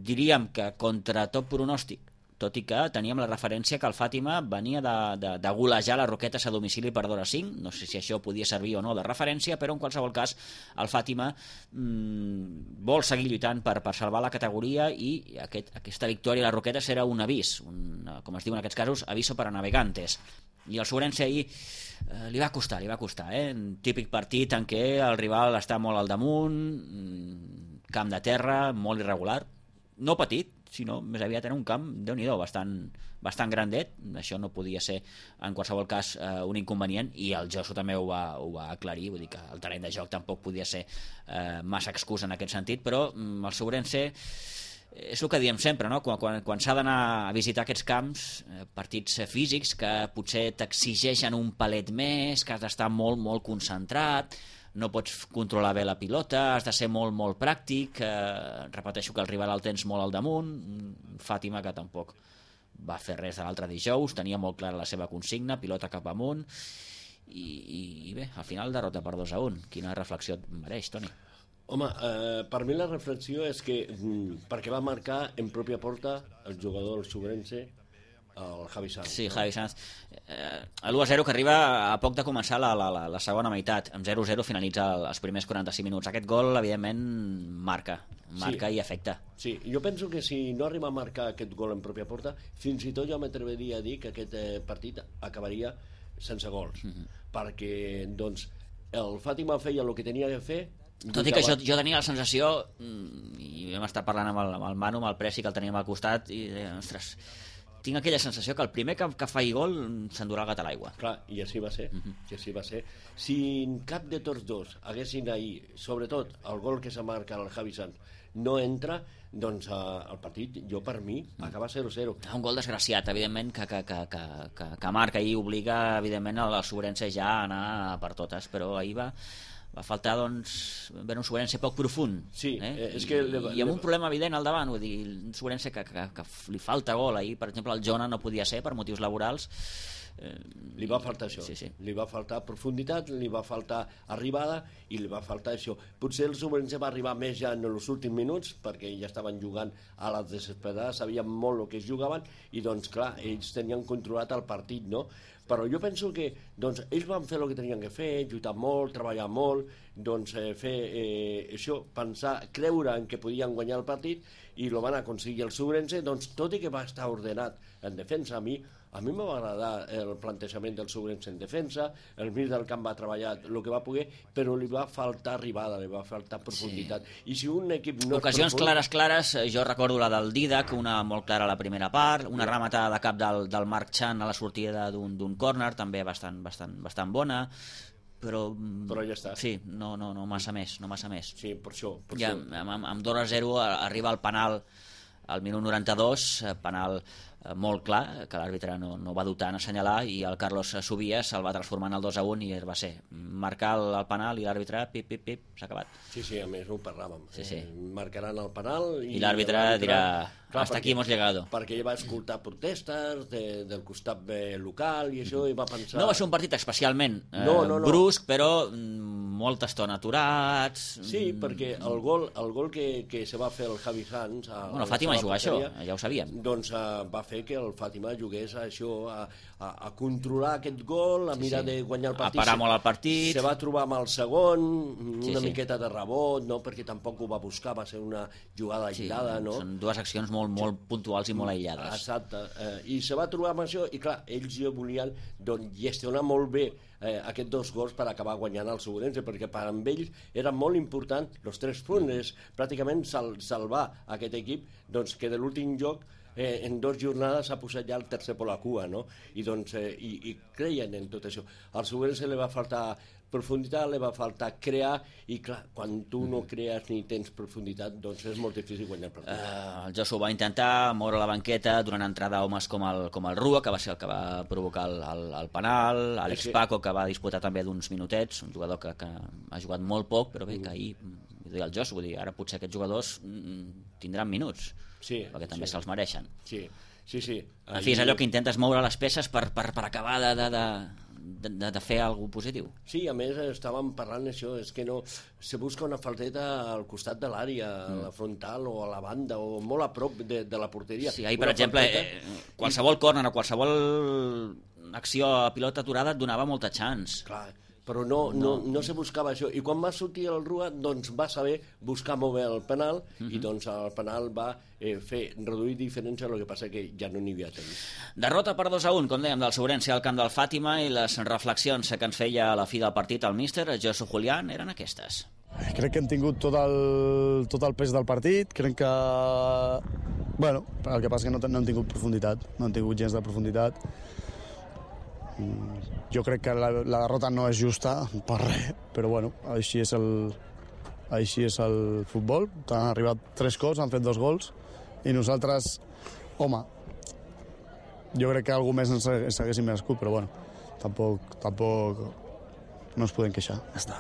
Diríem que contra tot pronòstic, tot i que teníem la referència que el Fàtima venia de golejar les Roquetes a domicili per 2-5, no sé si això podia servir o no de referència, però en qualsevol cas el Fàtima vol seguir lluitant per salvar la categoria, i aquesta victòria a les Roquetes era un avís, com es diu en aquests casos, aviso para navegantes. I el Sobrense ahir li va costar, un típic partit en què el rival està molt al damunt, camp de terra, molt irregular, no petit, sinó més aviat era un camp, Déu-n'hi-do, bastant grandet. Això no podia ser en qualsevol cas un inconvenient, i el Josu també ho va aclarir, vull dir que el terreny de joc tampoc podia ser massa excusa en aquest sentit, però el Sobrense és el que diem sempre, no? Quan s'ha d'anar a visitar aquests camps, partits físics que potser t'exigeixen un palet més, que has d'estar molt, molt concentrat, no pots controlar bé la pilota, has de ser molt, molt pràctic, repeteixo que el rival el tens molt al damunt. Fàtima, que tampoc va fer res de l'altre dijous, tenia molt clara la seva consigna, pilota cap amunt, i bé, al final derrota per 2-1. Quina reflexió et mereix, Toni? Home, per mi la reflexió és que perquè va marcar en pròpia porta el jugador del Sobrense, el Javi Sanz. Sí, Javi Sanz. L'1-0 que arriba a poc de començar la segona meitat. Amb 0-0 finalitza els primers 45 minuts. Aquest gol, evidentment, marca i afecta. Sí, jo penso que si no arriba a marcar aquest gol en pròpia porta, fins i tot jo m'atreviria a dir que aquest partit acabaria sense gols. Perquè, doncs, el Fàtima feia el que tenia que fer. Tot i que jo tenia la sensació, i vam estar parlant amb el Manu, amb el Presi, que el teníem al costat, i deia, ostres, tinc aquella sensació que el primer que faci gol s'endurà el gat a l'aigua. Clar, i així va ser. I així va ser. Si cap de tots dos haguessin ahir, sobretot el gol que se marca el Javi Sanz, no entra, doncs el partit, jo per mi, acaba 0-0. Un gol desgraciat, evidentment, que marca i obliga, evidentment, el Sobrense ja a anar per totes, però ahir va faltar, doncs, un Sobrense poc profund. Sí, és que i amb un problema evident al davant, vull dir, un Sobrense que li falta gol ahir, per exemple, el Jona no podia ser per motius laborals. Li va faltar això, sí. Li va faltar profunditat, li va faltar arribada i li va faltar això. Potser el Sobrense va arribar més ja en els últims minuts, perquè ja estaven jugant a les desesperades, sabien molt el que es jugaven, i doncs clar, ells tenien controlat el partit, no? Però jo penso que doncs, ells van fer el que tenien que fer, lluitar molt, treballar molt, doncs, fer això, pensar, creure en que podien guanyar el partit i el van aconseguir el Subrense, doncs, tot i que va estar ordenat en defensa, a mi m'ha agradat el plantejament del Subrense en defensa, el mig del camp va treballar el que va poder, però li va faltar arribada, li va faltar profunditat. I si un equip no ocasions clares, jo recordo la del Didac, una molt clara a la primera part, una rematada de cap del Marc Chan a la sortida d'un córner, també bastant bona, però ja està. Sí, no massa més. Sí, per això. Ja, amb 2-0 arriba el penal al minut 92, penal molt clar, que l'àrbitre no va dubtar en assenyalar, i el Carlos Subias el va transformar en el 2-1 i va ser marcar el penal i l'àrbitre, pip, s'ha acabat. Sí, a més ho parlàvem. Sí. Marcaran el penal i l'àrbitre dirà, hasta aquí hemos llegado. Perquè ell va escoltar protestes del costat local i això, i va pensar... No va ser un partit especialment brusc, però molta estona aturats... Sí, perquè el gol que se va fer el Javi Sanz... Bueno, Fàtima juga això, ja ho sabíem. Doncs va fer que el Fàtima jugués a això, a controlar aquest gol, a mirar de guanyar el partit. A parar molt el partit. Se va trobar amb el segon, una miqueta de rebot, no? Perquè tampoc ho va buscar, va ser una jugada aïllada, no? Són dues accions molt puntuals i molt aïllades. Exacte. I se va trobar amb això, i clar, ells ja volien gestionar molt bé aquests 2 gols per acabar guanyant el Segurense, perquè per amb ells era molt important els 3 punts, pràcticament salvar aquest equip, doncs que de l'últim joc en 2 jornades s'ha posat ja el tercer per la cua, no? I doncs i creien en tot això. Al Segurense li va faltar profunditat, li va faltar crear, i clar, quan tu no crees ni tens profunditat, doncs és molt difícil guanyar el partit. El Josu va intentar moure la banqueta donant entrada a homes com el Rua, que va ser el que va provocar el penal, Àlex Paco, que va disputar també d'uns minutets, un jugador que ha jugat molt poc, però bé, que ahir, el Josu, vull dir, ara potser aquests jugadors tindran minuts, perquè també se'ls mereixen. Sí. En fi, és allò que intentes moure les peces per acabar de fer alguna cosa positiu. Sí, a més estàvem parlant això, és que no se busca una falteta al costat de l'àrea, a la frontal o a la banda o molt a prop de la porteria. Sí, ahir, per exemple, qualsevol córner o qualsevol acció a pilota aturada et donava molta chance. Clar, però no se buscava això, i quan va sortir el Rua doncs va saber buscar molt bé el penal, i doncs el penal va reduir diferència, el que passa que ja no n'hi havia temps. Derrota per 2-1, com dèiem, del Segurense al camp del Fàtima, i les reflexions que ens feia a la fi del partit el míster Josu Julián eren aquestes. Crec que hem tingut tot el pes del partit, crec que... Bueno, el que passa que no hem tingut profunditat, no hem tingut gens de profunditat. Jo crec que la derrota no és justa per res, però bueno, així és el futbol. Han arribat 3 cops, han fet 2 gols, i nosaltres, home, jo crec que algú més ens haguéssim merescut, però bueno, tampoc no ens podem queixar, ja està.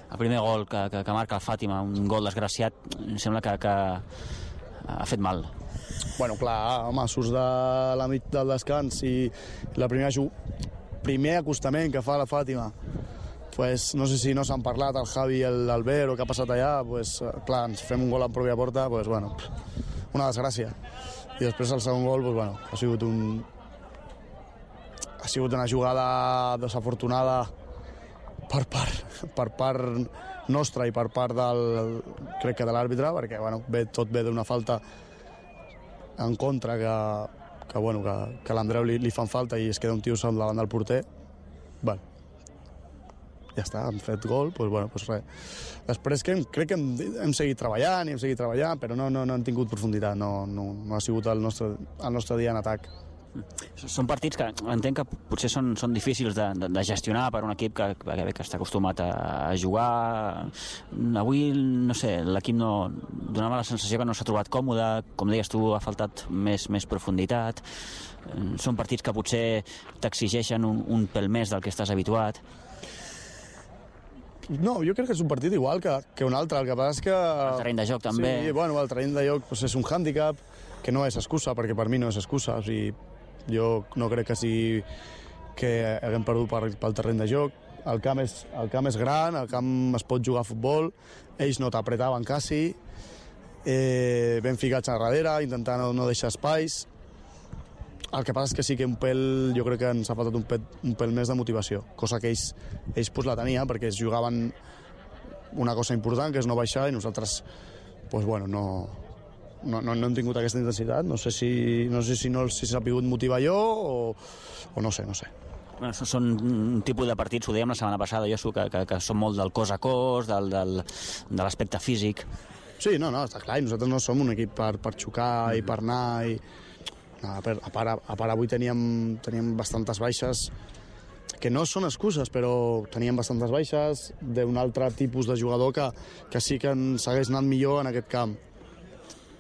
El primer gol que marca el Fàtima, un gol desgraciat, em sembla que ha fet mal. Bueno, clar, home, surts de la mig del descans i la primer acostament que fa la Fàtima, pues, no sé si no s'han parlat el Javi i l'Albert o què ha passat allà, pues, clar, ens fem un gol en pròpia porta, pues, bueno, una desgràcia. I després el segon gol, pues, bueno, ha sigut una jugada desafortunada per part nostra i per part crec que de l'àrbitre, perquè bueno, tot ve d'una falta en contra que l'Andreu li fan falta i es queda un tio sol davant del porter. Bueno, ja està, han fet gol, doncs bueno, doncs res. Després crec que hem seguit treballant, però no hem tingut profunditat, no ha sigut el nostre dia en atac. Són partits que entenc que potser són difícils de gestionar per un equip que està acostumat a jugar. Avui, no sé, l'equip donava la sensació que no s'ha trobat còmode, com deies tu, ha faltat més profunditat. Són partits que potser t'exigeixen un pèl més del que estàs habituat. No, jo crec que és un partit igual que un altre, el que passa és que... El terreny de joc també. Sí, bueno, el terreny de joc és un hàndicap, que no és excusa, perquè per mi no és excusa, o sigui, jo no crec que haguem perdut pel terreny de joc. El camp és gran, el camp es pot jugar a futbol, ells no t'apretaven quasi, ben ficats a darrere, intentant no deixar espais. El que passa és que sí que jo crec que ens ha faltat un pèl més de motivació, cosa que ells pues, la tenien, perquè es jugaven una cosa important, que és no baixar, i nosaltres pues, bueno, no hem tingut aquesta intensitat. No sé si no s'ha pogut motivar jo o no sé. Bueno, són un tipus de partits, ho dèiem la setmana passada, Josu, que són molt del cos a cos, de l'aspecte físic. Sí, no, està clar, i nosaltres no som un equip per xocar i per anar. A part, avui teníem bastantes baixes, que no són excuses, però teníem bastantes baixes d'un altre tipus de jugador que sí que ens hagués anat millor en aquest camp.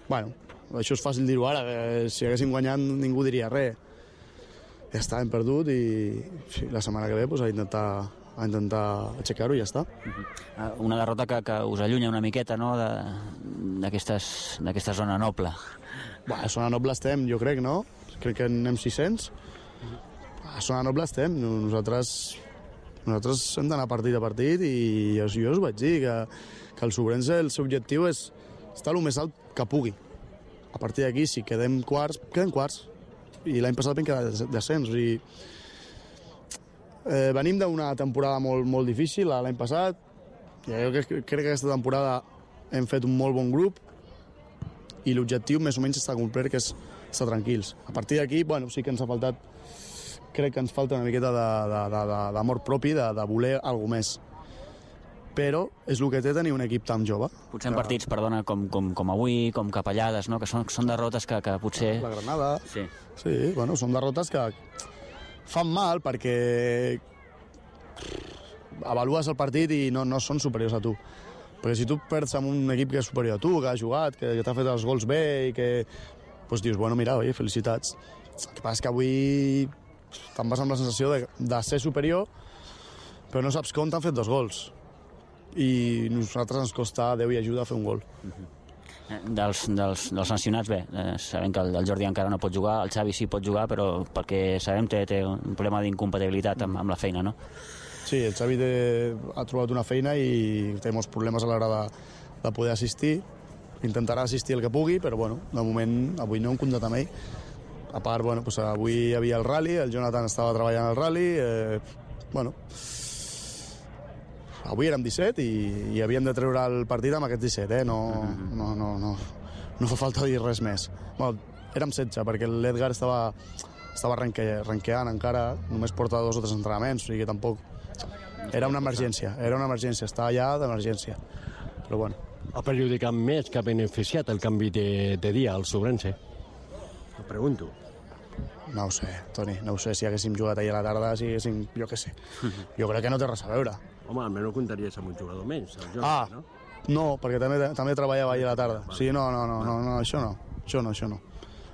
Bueno, això és fàcil dir-ho ara, que si haguéssim guanyat ningú diria res. Ja està, hem perdut i la setmana que ve pues, a intentar aixecar-ho i ja està. Una derrota que us allunya una miqueta, no?, d'aquesta zona noble. A zona noble estem, jo crec, no? Crec que anem 600. A zona noble estem. Nosaltres hem d'anar partit a partit i jo us vaig dir que el Sobrense, el seu objectiu és estar el més alt que pugui. A partir d'aquí, si quedem quarts, quedem quarts. I l'any passat vam quedar descens. Venim d'una temporada molt, molt difícil l'any passat. Jo crec que aquesta temporada hem fet un molt bon grup i l'objectiu més o menys està complert, que és estar tranquils. A partir d'aquí, bueno, sí que ens ha faltat, crec que ens falta una miqueta d'amor propi, de voler alguna més. Però és el que té tenir un equip tan jove. Potser en partits, perdona, com avui, com Capellades, no?, que són derrotes que potser... La Granada. Sí, bueno, són derrotes que fan mal perquè avalues el partit i no són superiors a tu. Perquè si tu perds amb un equip que és superior a tu, que ha jugat, que t'ha fet els gols bé i que pues dius, bueno, mira, oi, felicitats. El que passa és que avui te'n vas amb la sensació de ser superior, però no saps com t'han fet 2 gols. I a nosaltres ens costa Déu i ajuda a fer un gol. Dels sancionats, bé, sabem que el Jordi encara no pot jugar, el Xavi sí pot jugar, però perquè sabem que té un problema d'incompatibilitat amb la feina, no? Sí, el Xavi ha trobat una feina i té molts problemes a l'hora de poder assistir. Intentarà assistir el que pugui, però bueno, de moment avui no hem comptat amb ell. A part, bueno, pues avui hi havia el rally, el Jonathan estava treballant al rally, bueno, avui érem 17 i havíem de treure el partit amb aquest 17, no fa falta dir res més. Bueno, érem 16 perquè l'Edgar estava ranqueant encara, només porta 2 o 3 entrenaments, o sigui que tampoc... Era una emergència, estava allà d'emergència, però bueno. Ha perjudicat més que ha beneficiat el canvi de dia al Sobrense? Ho pregunto. No ho sé, Toni, no ho sé. Si haguéssim jugat ahir a la tarda, si haguéssim... Jo què sé. Jo crec que no té res a veure. Home, almenys comptaries amb un jugador menys, el Jonathan, no? No, perquè també treballava ahir a la tarda. Sí, no, això no.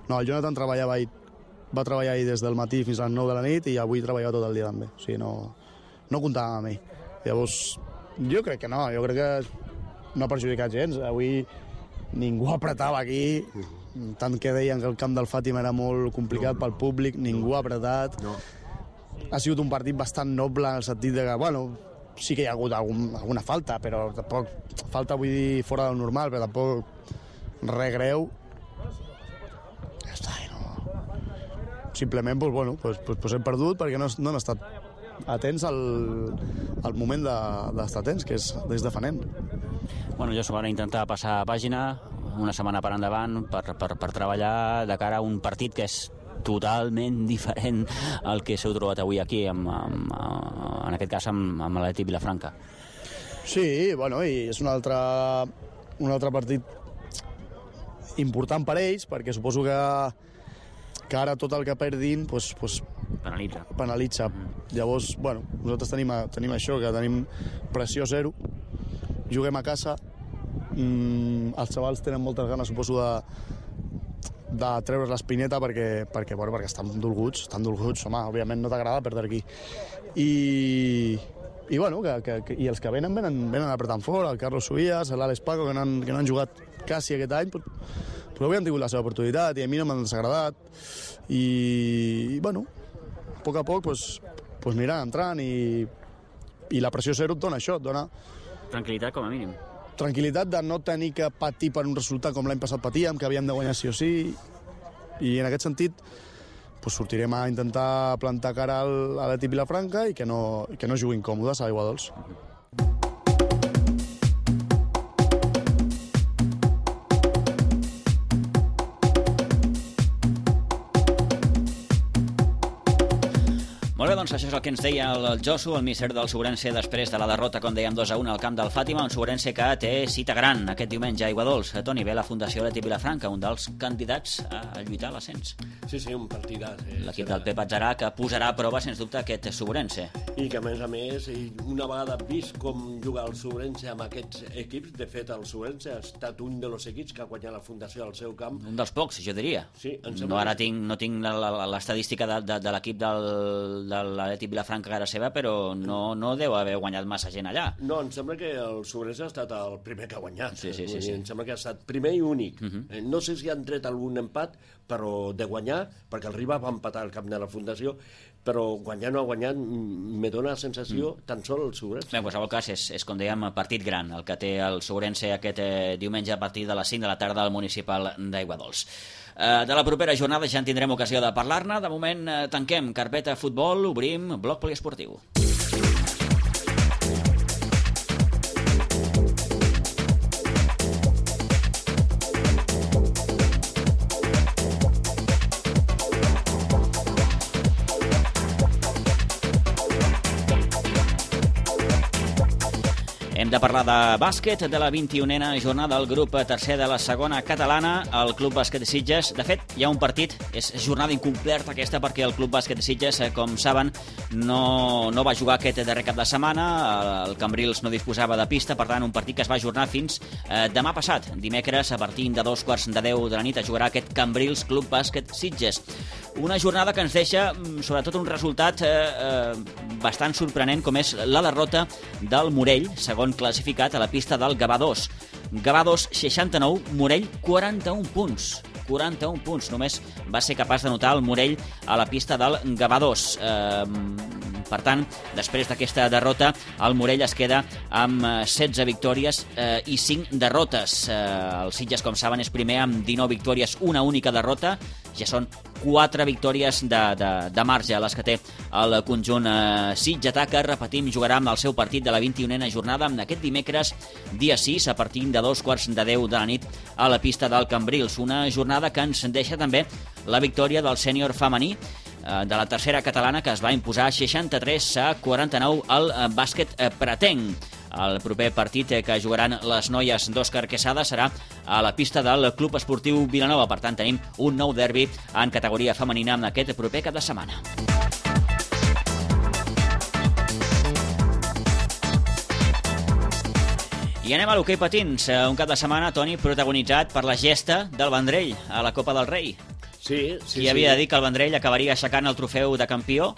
No, el Jonathan va treballar ahir des del matí fins a les 9 de la nit i avui treballava tot el dia també. O sigui, no comptàvem amb ell. Llavors, jo crec que no, no ha perjudicat gens. Avui ningú apretava aquí, tant que deien que el camp del Fàtima era molt complicat pel públic, ningú ha apretat. No. Ha sigut un partit bastant noble en el sentit de que, bueno, sí que hi ha hagut alguna falta, però tampoc falta, vull dir, fora del normal, però tampoc res greu. Ja està, no. Simplement, pues, bueno, pues hem perdut perquè no hem estat atents al moment d'estar atents, que és des de Fanent. Bueno, jo s'ho intentar passar pàgina, una setmana per endavant, per treballar de cara a un partit que és totalment diferent al que s'heu trobat avui aquí, en aquest cas amb l'Atlètic Vilafranca. Sí, bueno, i és un altre partit important per ells, perquè suposo que ara tot el que perdin pues, penalitza. Llavors, bueno, nosaltres tenim això, que tenim pressió zero, juguem a casa, els xavals tenen moltes ganes, suposo, de treure's l'espineta perquè estan dolguts, home, òbviament no t'agrada perdre aquí. I bueno, i els que venen apretant fort, el Carlos Suías, l'Àlex Paco, que no han jugat quasi aquest any, però avui han tingut la seva oportunitat i a mi no m'han desagradat. I bueno, a poc pues aniran entrant i la pressió zero et dona això, et dona... Tranquil·litat, com a mínim. Tranquil·litat de no tenir que patir per un resultat com l'any passat patíem, que havíem de guanyar sí o sí, i en aquest sentit sortirem a intentar plantar cara a l'Atlètic Vilafranca i que no juguin còmodes a Aigua Dols. Molt bé, doncs això és el que ens deia el Josu, el míster del Sobrense, després de la derrota, com dèiem, 2-1 al camp del Fàtima, un Sobrense que té cita gran aquest diumenge a Aiguadols. Toni, ve la Fundació Atlètic Vilafranca, un dels candidats a lluitar a l'ascens. Sí, un partidàs. L'equip del Pep Atzarà, que posarà a prova, sens dubte, aquest Sobrense. I que, a més, una vegada vist com juga el Sobrense amb aquests equips, de fet, el Sobrense ha estat un dels equips que ha guanyat la Fundació al seu camp. Un dels pocs, jo diria. Sí, no tinc l'estadística de l'equip de l'Atlètic Vilafranca a casa seva, però no deu haver guanyat massa gent allà. No, em sembla que el Sobrense ha estat el primer que ha guanyat. Sí. Em sembla que ha estat primer i únic. No sé si han tret algun empat, però de guanyar, perquè el Riba va empatar al camp de la Fundació, però guanyar no ha guanyat, me dona la sensació tan sol el Sobrense. Bé, en qualsevol cas, és com dèiem, partit gran, el que té el Sobrense aquest diumenge a partir de les 5 de la tarda al municipal d'Aiguadols. De la propera jornada ja en tindrem ocasió de parlar-ne. De moment tanquem carpeta futbol, obrim bloc poliesportiu. Hem de parlar de bàsquet, de la 21a jornada del grup tercer de la segona catalana, el Club Bàsquet de Sitges. De fet, hi ha un partit, és jornada incompleta aquesta, perquè el Club Bàsquet de Sitges, com saben, no va jugar aquest darrer cap de setmana, el Cambrils no disposava de pista, per tant, un partit que es va ajornar fins demà passat. Dimecres, a partir de 2:15 de la nit, es jugarà aquest Cambrils Club Bàsquet Sitges. Una jornada que ens deixa, sobretot, un resultat bastant sorprenent, com és la derrota del Morell, segon classificat a la pista del Gavà 2. Gavà 2, 69, Morell, 41 punts. 41 punts. Només va ser capaç d'anotar el Morell a la pista del Gavà 2. Per tant, després d'aquesta derrota, el Morell es queda amb 16 victòries i 5 derrotes. El Sitges, com saben, és primer amb 19 victòries, una única derrota. Ja són 4 victòries de marge les que té el conjunt sitgetà, que, repetim, jugarà amb el seu partit de la 21a jornada aquest dimecres, dia 6, a partir de 2:10 de la nit a la pista del Cambrils. Una jornada que ens deixa també la victòria del sènior femení de la tercera catalana, que es va imposar 63-49 al bàsquet pretenc. El proper partit que jugaran les noies d'Òscar Quesada serà a la pista del Club Esportiu Vilanova. Per tant, tenim un nou derbi en categoria femenina en aquest proper cap de setmana. I anem a l'hoquei patins, un cap de setmana, Toni, protagonitzat per la gesta del Vendrell a la Copa del Rei. Sí. Qui havia de dir que el Vendrell acabaria aixecant el trofeu de campió,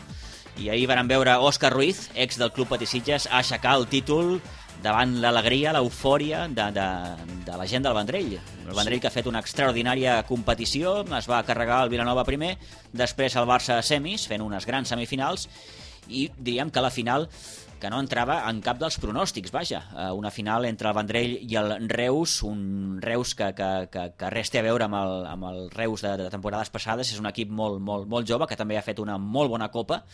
i ahir varen veure Òscar Ruiz, ex del Club Patí Sitges, a aixecar el títol davant l'alegria, l'eufòria de la gent del Vendrell. El Vendrell, que ha fet una extraordinària competició, es va carregar el Vilanova primer, després el Barça a semis, fent unes grans semifinals, i diríem que la final que no entrava en cap dels pronòstics, vaja. Una final entre el Vendrell i el Reus, un Reus que res té a veure amb el Reus de temporades passades. És un equip molt jove, que també ha fet una molt bona copa,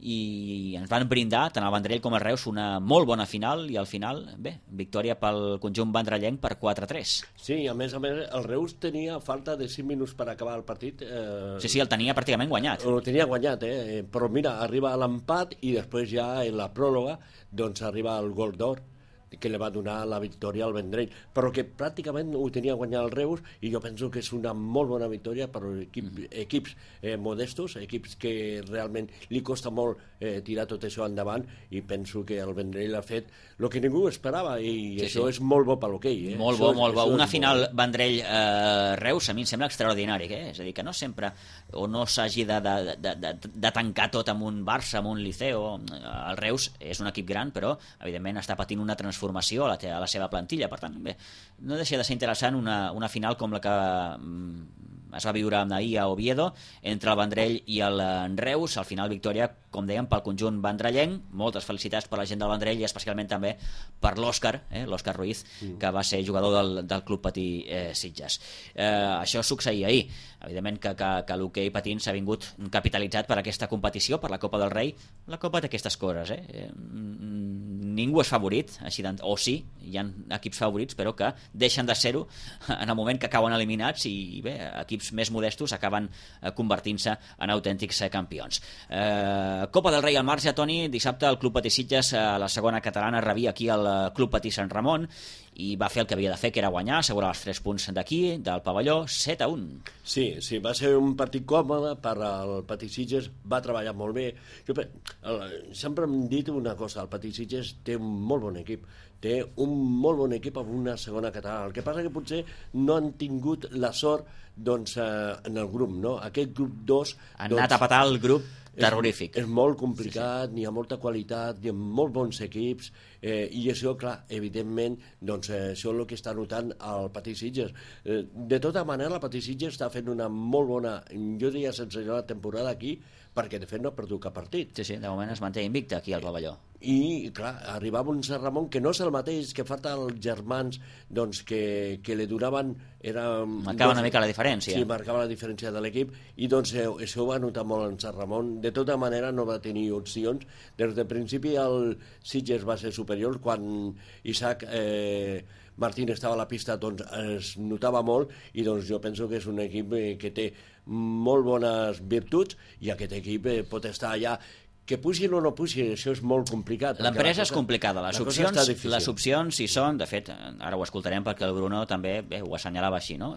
i ens van brindar, tant el Vendrell com el Reus, una molt bona final, i al final, bé, victòria pel conjunt vendrellenc per 4-3. Sí, a més, el Reus tenia falta de 5 minuts per acabar el partit. Sí, el tenia pràcticament guanyat. El tenia guanyat, però mira, arriba a l'empat i després ja en la pròrroga doncs arriba el gol d'or que li va donar la victòria al Vendrell, però que pràcticament ho tenia guanyat el Reus, i jo penso que és una molt bona victòria per equips modestos, equips que realment li costa molt tirar tot això endavant, i penso que el Vendrell ha fet el que ningú esperava, i això és molt bo per l'hoquei. Molt bo. Una final Vendrell-Reus a mi em sembla extraordinari, és a dir, que no sempre o no s'hagi de tancar tot amb un Barça, amb un Liceo. El Reus és un equip gran, però evidentment està patint una transformació a la seva plantilla. Per tant, bé, no deixa de ser interessant una final com la que es va viure ahir a Oviedo, entre el Vendrell i el Reus. Al final, victòria, com dèiem, pel conjunt vendrellenc. Moltes felicitats per la gent del Vendrell i especialment també per l'Òscar, l'Òscar Ruiz, que va ser jugador del Club Patí Sitges. Això succeïa ahir. Evidentment que l'hoquei patins s'ha vingut capitalitzat per aquesta competició, per la Copa del Rei. La Copa té aquestes coses, ningú és favorit, o sí, hi ha equips favorits, però que deixen de ser-ho en el moment que acaben eliminats i bé, equips més modestos acaben convertint-se en autèntics campions. Copa del Rei al marge, Toni. Dissabte el Club Patí Sitges, a la segona catalana, rebia aquí el Club Patí Sant Ramon i va fer el que havia de fer, que era guanyar, assegurar els 3 punts d'aquí, del pavelló, 7-1. Sí, va ser un partit còmode per al Patí Sitges, va treballar molt bé. Sempre hem dit una cosa, el Patí Sitges té un molt bon equip, té un molt bon equip amb una segona catalana. El que passa que potser no han tingut la sort en el grup, no? Aquest grup 2... Han anat a petar el grup terrorífic. És molt complicat, n'hi ha molta qualitat, n'hi ha molt bons equips, i això, clar, evidentment, això és el que està notant el Patí Sitges. De tota manera, el Patí Sitges està fent una molt bona, jo diria sensacional temporada aquí, perquè de fet no ha perdut cap partit. Sí, de moment es manté invicte aquí al pavelló. I, clar, arribava un Sant Ramon que no és el mateix, que falta els germans que li donaven... Marcava una mica la diferència. Sí, marcava la diferència de l'equip, i això ho va notar molt en Sant Ramon. De tota manera no va tenir opcions. Des del principi el Sitges va ser superior, quan Isaac Martín estava a la pista es notava molt, i jo penso que és un equip que té molt bones virtuts, i aquest equip pot estar allà. Que puixin o no puixin, això és molt complicat. L'empresa és complicada, les opcions hi són, de fet, ara ho escoltarem perquè el Bruno també ho assenyalava així, no?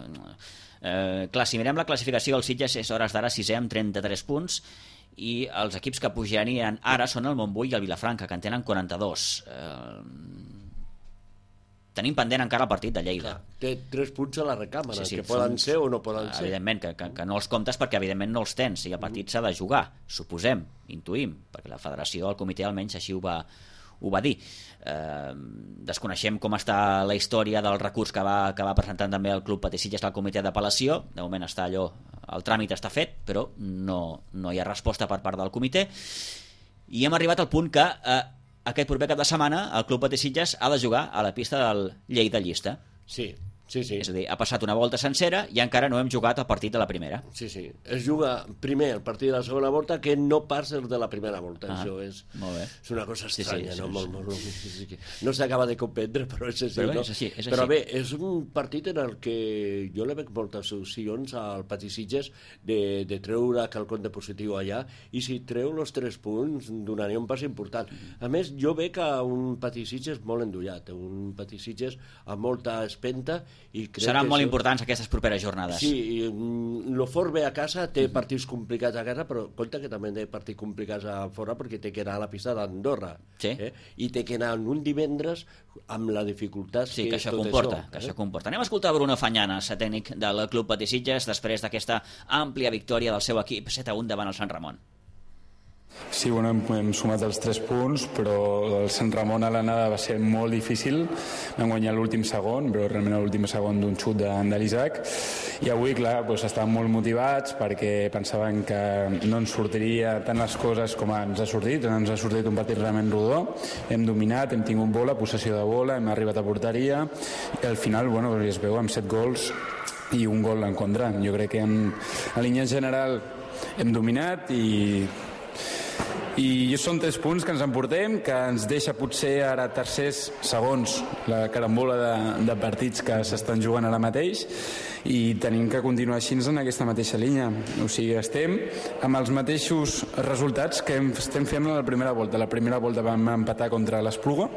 Clar, si mirem la classificació, el Sitges és hores d'ara 6è amb 33 punts, i els equips que pujarien ara són el Montbui i el Vilafranca, que en tenen 42. Tenim pendent encara el partit de Lleida. Té 3 punts a la recàmera, que poden ser o no poden ser. Evidentment, que no els comptes perquè evidentment no els tens, i el partit s'ha de jugar, suposem, intuïm, perquè la federació, el comitè almenys així ho va dir. Desconeixem com està la història del recurs que va presentant també el Club Patí Sitges al comitè d'apel·lació. De moment està allò, el tràmit està fet, però no hi ha resposta per part del comitè, i hem arribat al punt que aquest proper cap de setmana el Club Patí Sitges ha de jugar a la pista del Lleida Llista. Sí. És a dir, ha passat una volta sencera i encara no hem jugat el partit de la primera. Sí. Es juga primer el partit de la segona volta, que no pas el de la primera volta. Això és una cosa estranya, no? No s'acaba de comprendre, però és així. Però bé, és un partit en el que jo le veig moltes opcions al Patí Sitges de treure quelcom de positiu allà, i si treu els 3 punts donaria un pas important. A més, jo veig un Patí Sitges molt endollat, un Patí Sitges amb molta espenta. Seran molt importants aquestes properes jornades. Sí, el Fort ve a casa, té partits complicats a casa, però compte que també té partits complicats a fora, perquè té que anar a la pista d'Andorra, i té que anar un divendres amb la dificultat que això comporta. Anem a escoltar Bruno Fañanas, tècnic del Club Patí Sitges, després d'aquesta àmplia victòria del seu equip 7-1 davant el Sant Ramon. Sí, hem sumat els 3 punts, però el Sant Ramon a l'anada va ser molt difícil. Vam guanyar l'últim segon, però realment l'últim segon d'un xut de l'Isaac. I avui, clar, estàvem molt motivats perquè pensaven que no ens sortiria tant les coses com ens ha sortit. Ens ha sortit un partit realment rodó. Hem dominat, hem tingut bola, possessió de bola, hem arribat a porteria, i al final, es veu amb 7 gols i un gol en contra. Jo crec que en línia general hem dominat, i són 3 punts que ens emportem, que ens deixa potser ara tercers, segons la carambola de partits que s'estan jugant ara mateix, i tenim que continuar així en aquesta mateixa línia. O sigui, estem amb els mateixos resultats que estem fent a la primera volta. La primera volta vam empatar contra l'Espluga,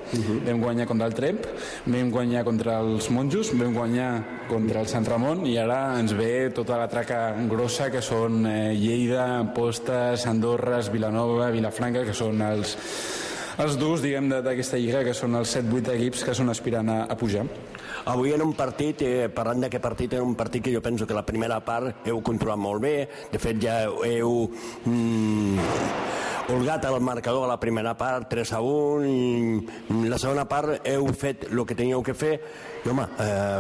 vam guanyar contra el Tremp, vam guanyar contra els Monjos, vam guanyar contra el Sant Ramon, i ara ens ve tota la traca grossa, que són Lleida, Postes, Andorra, Vilanova, Vilafranca, que són els durs, diguem, d'aquesta lliga, que són els 7-8 equips que són aspirant a pujar. Avui en un partit, parlant d'aquest partit, era un partit que jo penso que la primera part heu controlat molt bé. De fet, ja heu holgat al marcador a la primera part, 3-1, i la segona part heu fet el que teníeu que fer, i home,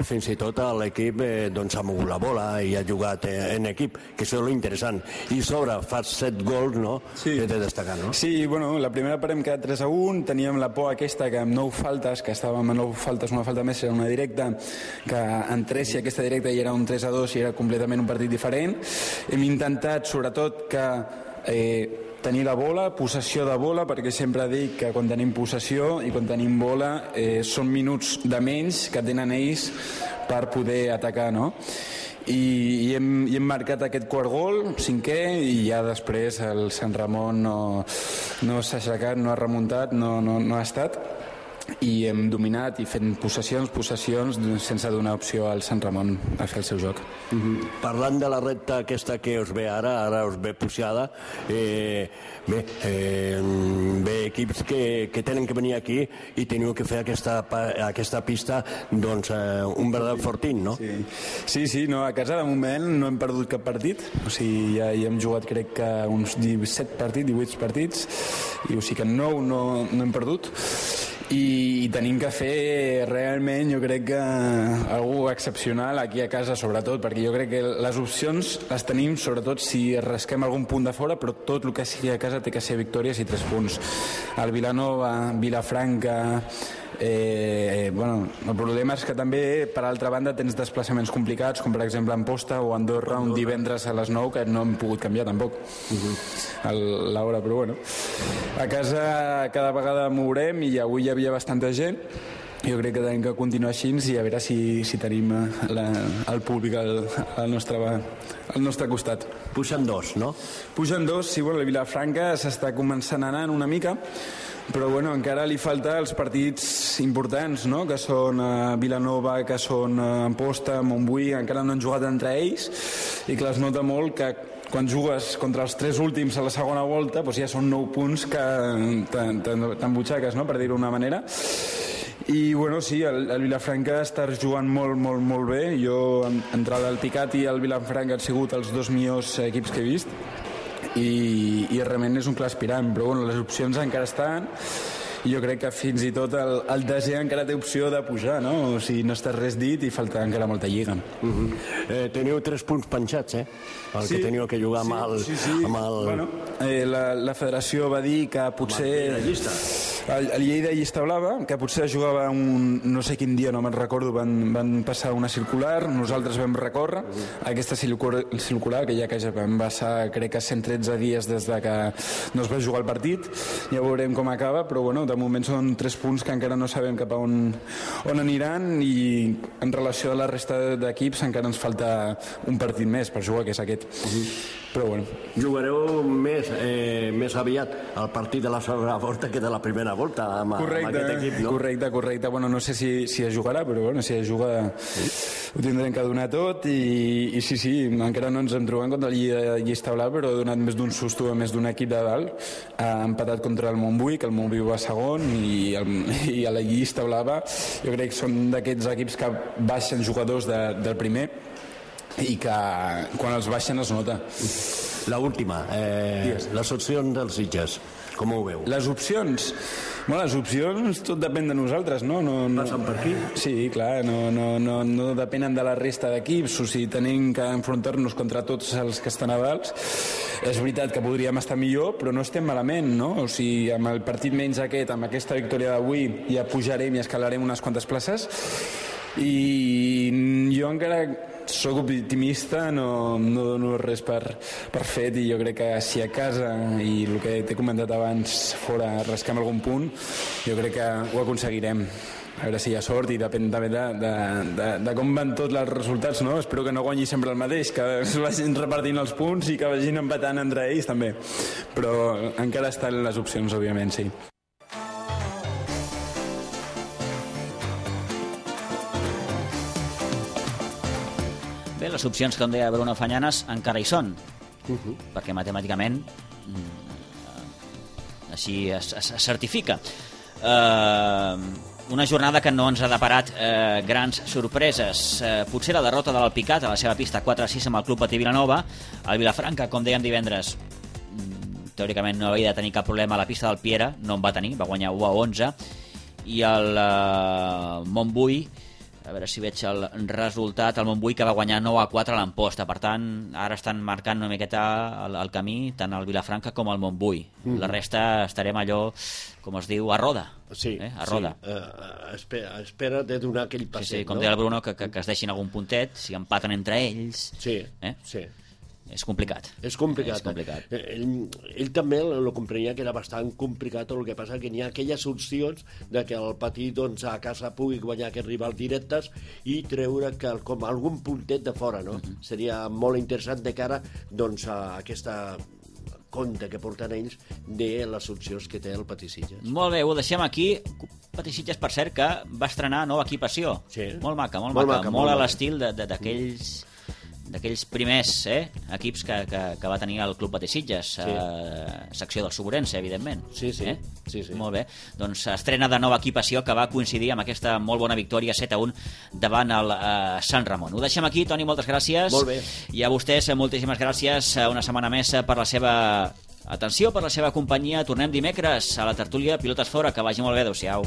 fins i tot l'equip s'ha mogut la bola i ha jugat en equip, que això és lo interessant. I sobre fas 7 gols, no? Sí. Que té de destacar, no? Sí, bueno, la primera part hem quedat 3-1, teníem la por aquesta que amb 9 faltes, que estàvem amb 9 faltes, una falta més era una directa, que entrés si aquesta directa hi era un 3-2 i era completament un partit diferent. Hem intentat, sobretot, que tenir la bola, possessió de bola, perquè sempre dic que quan tenim possessió i quan tenim bola són minuts de menys que tenen ells per poder atacar, no? I hem marcat aquest quart gol, 5è, i ja després el Sant Ramon no s'ha aixecat, no ha remuntat, no ha estat, i hem dominat i fent possessions sense donar opció al Sant Ramon a fer el seu joc. Parlant de la recta aquesta que us ve ara us ve puixada, ve equips que tenen que venir aquí i teniu que fer aquesta pista un verdadero fortín, no? Sí, no, a casa de moment no hem perdut cap partit, o sigui, ja hem jugat crec que uns 18 partits, i o sigui que 9 no hem perdut, i tenim que fer realment, jo crec que algú excepcional aquí a casa, sobretot, perquè jo crec que les opcions les tenim sobretot si rasquem algun punt de fora, però tot el que sigui a casa té que ser victòries i 3 punts. El Vilanova, Vilafranca, el problema és que també per altra banda tens desplaçaments complicats, com per exemple Amposta o Andorra, un divendres a les 9 que no hem pogut canviar tampoc l'hora, però bueno, a casa cada vegada mourem i avui hi havia bastanta gent. Jo crec que tenim que continuar així i a veure si tenim el públic al nostre costat. Pugen 2, no? Pugen 2, sí, bueno, la Vilafranca s'està començant a anar una mica, però bueno, encara li falta els partits importants, no? Que són Vilanova, que són Amposta, Montbui, encara no han jugat entre ells, i clar, es nota molt que quan jugues contra els 3 últims a la segona volta doncs ja són 9 punts que t'embutxaques, no? Per dir-ho d'una manera. I bueno, sí, el Vilafranca està jugant molt bé. Jo, entre el Picat i el Vilafranca han sigut els 2 millors equips que he vist, i realment és un clar aspirant, però bueno, les opcions encara estan, i jo crec que fins i tot el desè encara té opció de pujar, no? O sigui, no està res dit i falta encara molta lliga. Teniu 3 punts penjats, el que teniu que jugar amb el... Bueno, la federació va dir que potser... El Lleida Llista Blava, que potser jugava no sé quin dia, no me'n recordo, van passar una circular, nosaltres vam recórrer aquesta circular, que ja que vam passar crec que 113 dies des de que no es va jugar el partit, ja veurem com acaba, però bueno, de moment són 3 punts que encara no sabem cap a on aniran, i en relació a la resta d'equips encara ens falta un partit més per jugar, que és aquest. Però bueno. Jugareu més aviat el partit de la segona volta que de la primera volta amb aquest equip, no? Correcte. Bueno, no sé si es jugarà, però bueno, si es juga ho tindrem que donar tot, i sí, encara no ens hem trobat contra el Llista Blava, però ha donat més d'un susto a més d'un equip de dalt. Ha empatat contra el Montbui, que el Montbui va segon, i a la Llista Blava jo crec que són d'aquests equips que baixen jugadors del primer, i que quan els baixen es nota. L'última, les opcions dels Sitges, com ho veu? Les opcions tot depèn de nosaltres, no? Passen per aquí? Sí, clar, no depenen de la resta d'equips, o sigui, tenim que enfrontar-nos contra tots els que estan a dalt. És veritat que podríem estar millor, però no estem malament, no? O sigui, amb el partit menys amb aquesta victòria d'avui ja pujarem i escalarem unes quantes places, i jo encara soc optimista, no dono res per fet, i jo crec que si a casa, i el que t'he comentat abans, fora rascam algun punt, jo crec que ho aconseguirem. A veure si hi ha sort, i depèn també de com van tots els resultats, no? Espero que no guanyi sempre el mateix, que es vagin repartint els punts i que vagin empatant entre ells també, però encara estan les opcions, òbviament, sí. Bé, les opcions, com deia Bruno Fanyanes, encara hi són, perquè matemàticament així es certifica. Una jornada que no ens ha deparat grans sorpreses. Potser la derrota de l'Alpicat a la seva pista 4-6 amb el Club Patí Vilanova. El Vilafranca, com dèiem divendres, teòricament no havia de tenir cap problema a la pista del Piera, no en va tenir, va guanyar 1-11, i el Montbui, a veure si veig el resultat, el Montbui que va guanyar 9-4 a l'Amposta. Per tant, ara estan marcant una miqueta el camí tant el Vilafranca com el Montbui. La resta estarem allò, com es diu, a roda. Sí, a roda. Sí. Espera de donar aquell passet, com deia el Bruno, que es deixin algun puntet, si empaten entre ells. Sí, sí. És complicat. És complicat. Ell també lo comprenia que era bastant complicat, el que passa que n'hi ha aquelles opcions de que el Patí doncs, a casa pugui guanyar aquests rivals directes i treure com algun puntet de fora, no? Seria molt interessant de cara doncs, a aquesta compte que porten ells de les opcions que té el Patí Sitges. Molt bé, ho deixem aquí. Patí Sitges, per cert, que va estrenar nova equipació. Sí. Molt maca. Molt a l'estil d'aquells primers equips que va tenir el Club Patí Sitges, secció del Suburense, evidentment. Sí. Molt bé, doncs estrena de nova equipació que va coincidir amb aquesta molt bona victòria 7-1 davant el Sant Ramon. Ho deixem aquí, Toni, moltes gràcies. Molt bé. I a vostès, moltíssimes gràcies una setmana més per la seva atenció, per la seva companyia. Tornem dimecres a la tertúlia Pilotes Fora. Que vagi molt bé, adeu-siau.